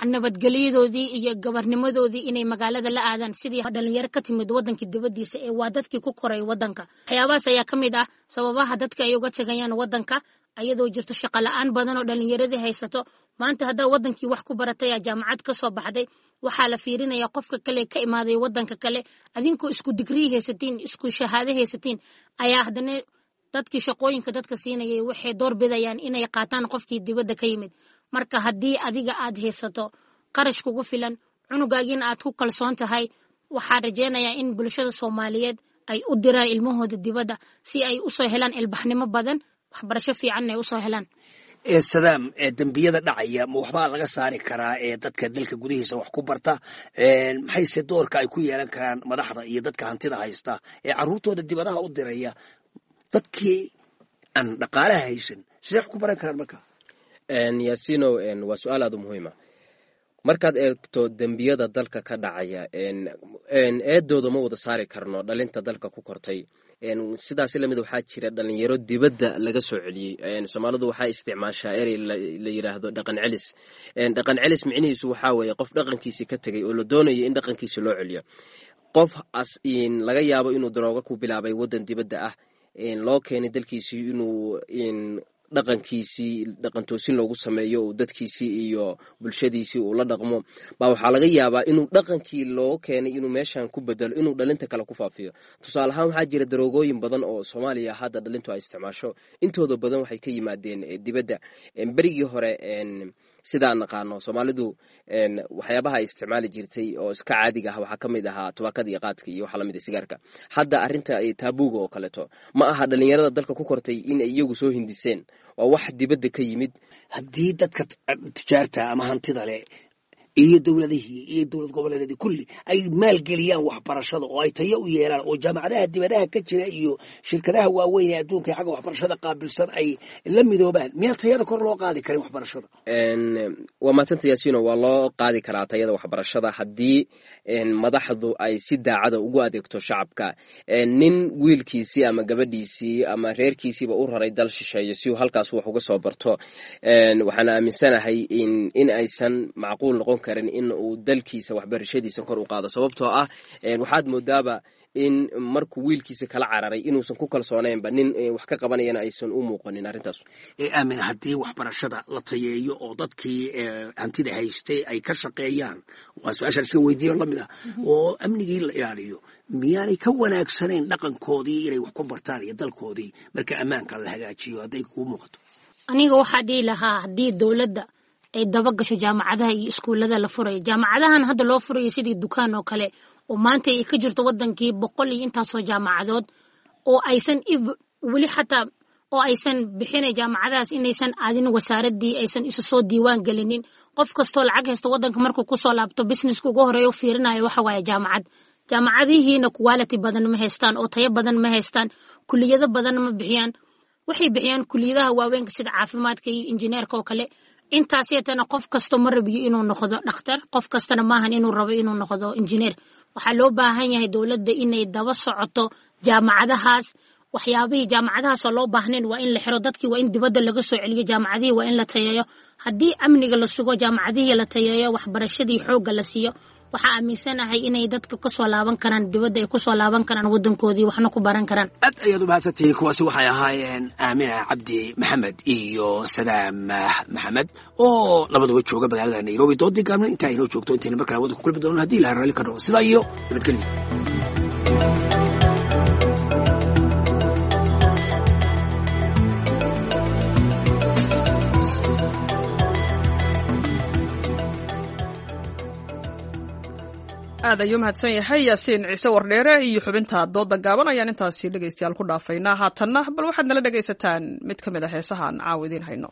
S17: nabadgelyadoodii iyo gabarnimadoodii inay magaalada la aadaan, sidii dhalinyaro ka timid wadankii dibadiisa ee waa dadkii ku koray wadanka. Waxyaabahaas ayaa ka mid ah sababaha dadka ay uga tegayaan wadanka, ayadoo jirto shaqo la-aan badan oo dhalinyaradii haysato. Maanta haddaa wadankii wax ku baratay, aa jaamacad ka soo baxday, waxaa la fiirinaya qofka kale ka imaaday wadanka kale. Adinkoo isku digrii haysatiin, isku shahaado haysatiin, ayaa haddana dadkii shaqooyinka dadka siinayay waxay door bidayaan inay qaataan qofkii dibadda ka yimid. Marka haddii adiga aad haysato qarash kugu filan, cunugaagiina aad ku kalsoon tahay, waxaa rajeynayaa in bulshada Soomaaliyeed ay u diraan ilmahooda dibadda si ay usoo helaan ilbaxnimo badan, waxbarasho fiicanna ay usoo helaan.
S5: Ee Sadaam, ee dembiyada dhacaya ma waxbaa laga saari karaa ee dadka dalka gudihiisa wax ku barta? Maxayse doorka ay ku yeelan karaan madaxda iyo dadka hantida haysta ee carruurtooda dibadaha u diraya? Dadkii aan dhaqaalaha haysan sidee wax ku baran karaan marka?
S16: Yaasinow, waa su-aal aad u muhiima. Markaad eegto dembiyada dalka ka dhacaya, eedooda ma wada saari karno dhalinta dalka ku kortay. Sidaasi lamid waxaa jira dhalinyaro dibadda laga soo celiyey. Soomaalidu waxaa isticmaashaa erey la yiraahdo dhaqan celis. Dhaqan celis micnihiisu waxaa weeye qof dhaqankiisii ka tegay oo la doonayo in dhaqankiisi loo celiyo. Qof as laga yaabo inuu darooga ku bilaabay waddan dibadda ah, loo keenay dalkiisii inuu dhaqankiisii dhaqan toosin loogu sameeyo, uu dadkiisii iyo bulshadiisii uu la dhaqmo, baa waxaa laga yaabaa inuu dhaqankii loo keenay inuu meeshan ku bedelo, inuu dhalinta kale ku faafiyo. Tusaale ahaan, waxaa jira daroogooyin badan oo Soomaaliya hadda dhalintu ay isticmaasho, intooda badan waxay ka yimaadeen dibadda. Berigii hore, sidaan naqaano, Soomaalidu waxyaabaha ay isticmaali jirtay oo iska caadiga ah waxaa ka mid ahaa tubaakada iyo qaadka iyo waxa lamid ah sigaarka. Hadda arrinta taabuuga oo kaleeto ma aha dhalinyarada dalka ku kortay in ay iyagu soo hindiseen, waa wax dibadda ka yimid.
S5: Haddii dadka tijaarta ama hantida leh Iyo dowladihii iyo dowlad goboleedyadii kulli ay maalgeliyaan waxbarashada oo ay tayo u yeelaan oo jaamacadaha dibadaha ka jira iyo shirkadaha waaweyn ee adduunka ee xagga waxbarashada qaabilsan ay la midoobaan, miyaan tayada kor loo qaadi karin waxbarashada?
S16: Waa mahadsanta Yaasiino. Waa loo qaadi karaa tayada waxbarashada haddii madaxdu ay si daacada ugu adeegto shacabka. Nin wiilkiisii ama gabadhiisii ama reerkiisiiba u raray dal shisheeye si uu halkaas wax uga soo barto, waxaan aaminsanahay in aysan macquul noqon karin in uu dalkiisa waxbarashadiisa kor u qaado, sababtoo ah waxaad moodaaba in markuu wiilkiisa kala cararay inuusan ku kalsoonaynba, nin wax ka qabanayana aysan u muuqanin arrintaas.
S5: Aamin, haddii waxbarashada la tayeeyo oo dadkii hantida haystay ay ka shaqeeyaan, waa su-aashaan iska weydiiyo lamid ah, oo amnigii la ilaaliyo, miyaanay ka wanaagsanayn dhaqankoodii inay wax ku bartaan iyo dalkoodii marka ammaanka la hagaajiyo, hadday kuu muuqato?
S17: Aniga waxaa dhihi lahaa, haddii dowladda ay daba gasho jaamacadaha iyo iskuullada la furayo, jaamacadahan hadda loo furayo sidii dukaan oo kale, oo maanta ay ka jirto wadankii 100 iyo intaasoo jaamacadood, oo aysan weli xataa oo aysan bixinay jaamacadahaas inaysan aadin wasaaradii, aysan isu soo diiwaan gelinin. Qof kastoo lacag haysto wadanka markuu kusoo laabto, businesska ugu horeeya u fiirinayo waxa waaye jaamacad. Jaamacadihiina quality badan ma haystaan oo tayo badan ma haystaan, kuliyado badan ma bixiyaan. Waxay bixiyaan kuliyadaha waaweynka sida caafimaadka iyo injineerka oo kale. Intaasiyatana qof kasto ma rabiyo inuu noqdo dhakhtar, qof kastana maahan inuu rabo inuu noqdo injineer. Waxaa loo baahan yahay dowladda inay daba socoto jaamacadahaas. Waxyaabihii jaamacadahaas oo loo baahnayn waa in la xiro, dadkii waa in dibadda laga soo celiyo, jaamacadihii waa in la tayeeyo. Haddii amniga la sugo, jaamacadihii la tayeeyo, waxbarashadii xoogga la siiyo, waxaa aaminsanahay inay dadka kasoo laaban karaan dibadda, ay kusoo laaban karaan wadankoodii, waxna ku baran karaan.
S5: Aad ayaad u mahadsantihiin. Kuwaasi waxay ahaayeen Aamina Cabdi Maxamed iyo Sadaam Maxamed oo labaduba jooga magaalada Nairobi. Doodii gaabna intaa inoo joogto, intayna markale waddanka ku kulmi doono haddii ilaha raalli ka noqo, sidaa iyo nabadgelyo.
S1: Aad ayuu mahadsan yahay Yaasiin Ciise Wardheere iyo xubinta dooda gaaban ayaan intaasi dhegaystayaal ku dhaafaynaa. Haatanna bal waxaad nala dhegaysataan mid ka mid a heesahaan caawa idiin hayno.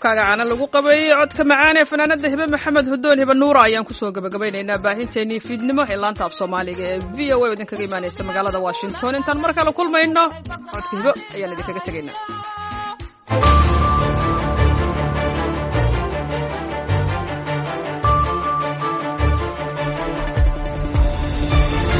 S1: Afkaaga caana lagu qabay, codka macaan ee fanaanada Hibe Maxamed Hudoon, Hibe Nuura, ayaan kusoo gabagabaynaynaa baahinteennii fiidnimo ee laanta af Soomaaliga ee VOA oo idinkaga imaanaysa magaalada Washington. Intaan mar kale kulmayno, codka Hibo ayaan idinkaga tegaynaa.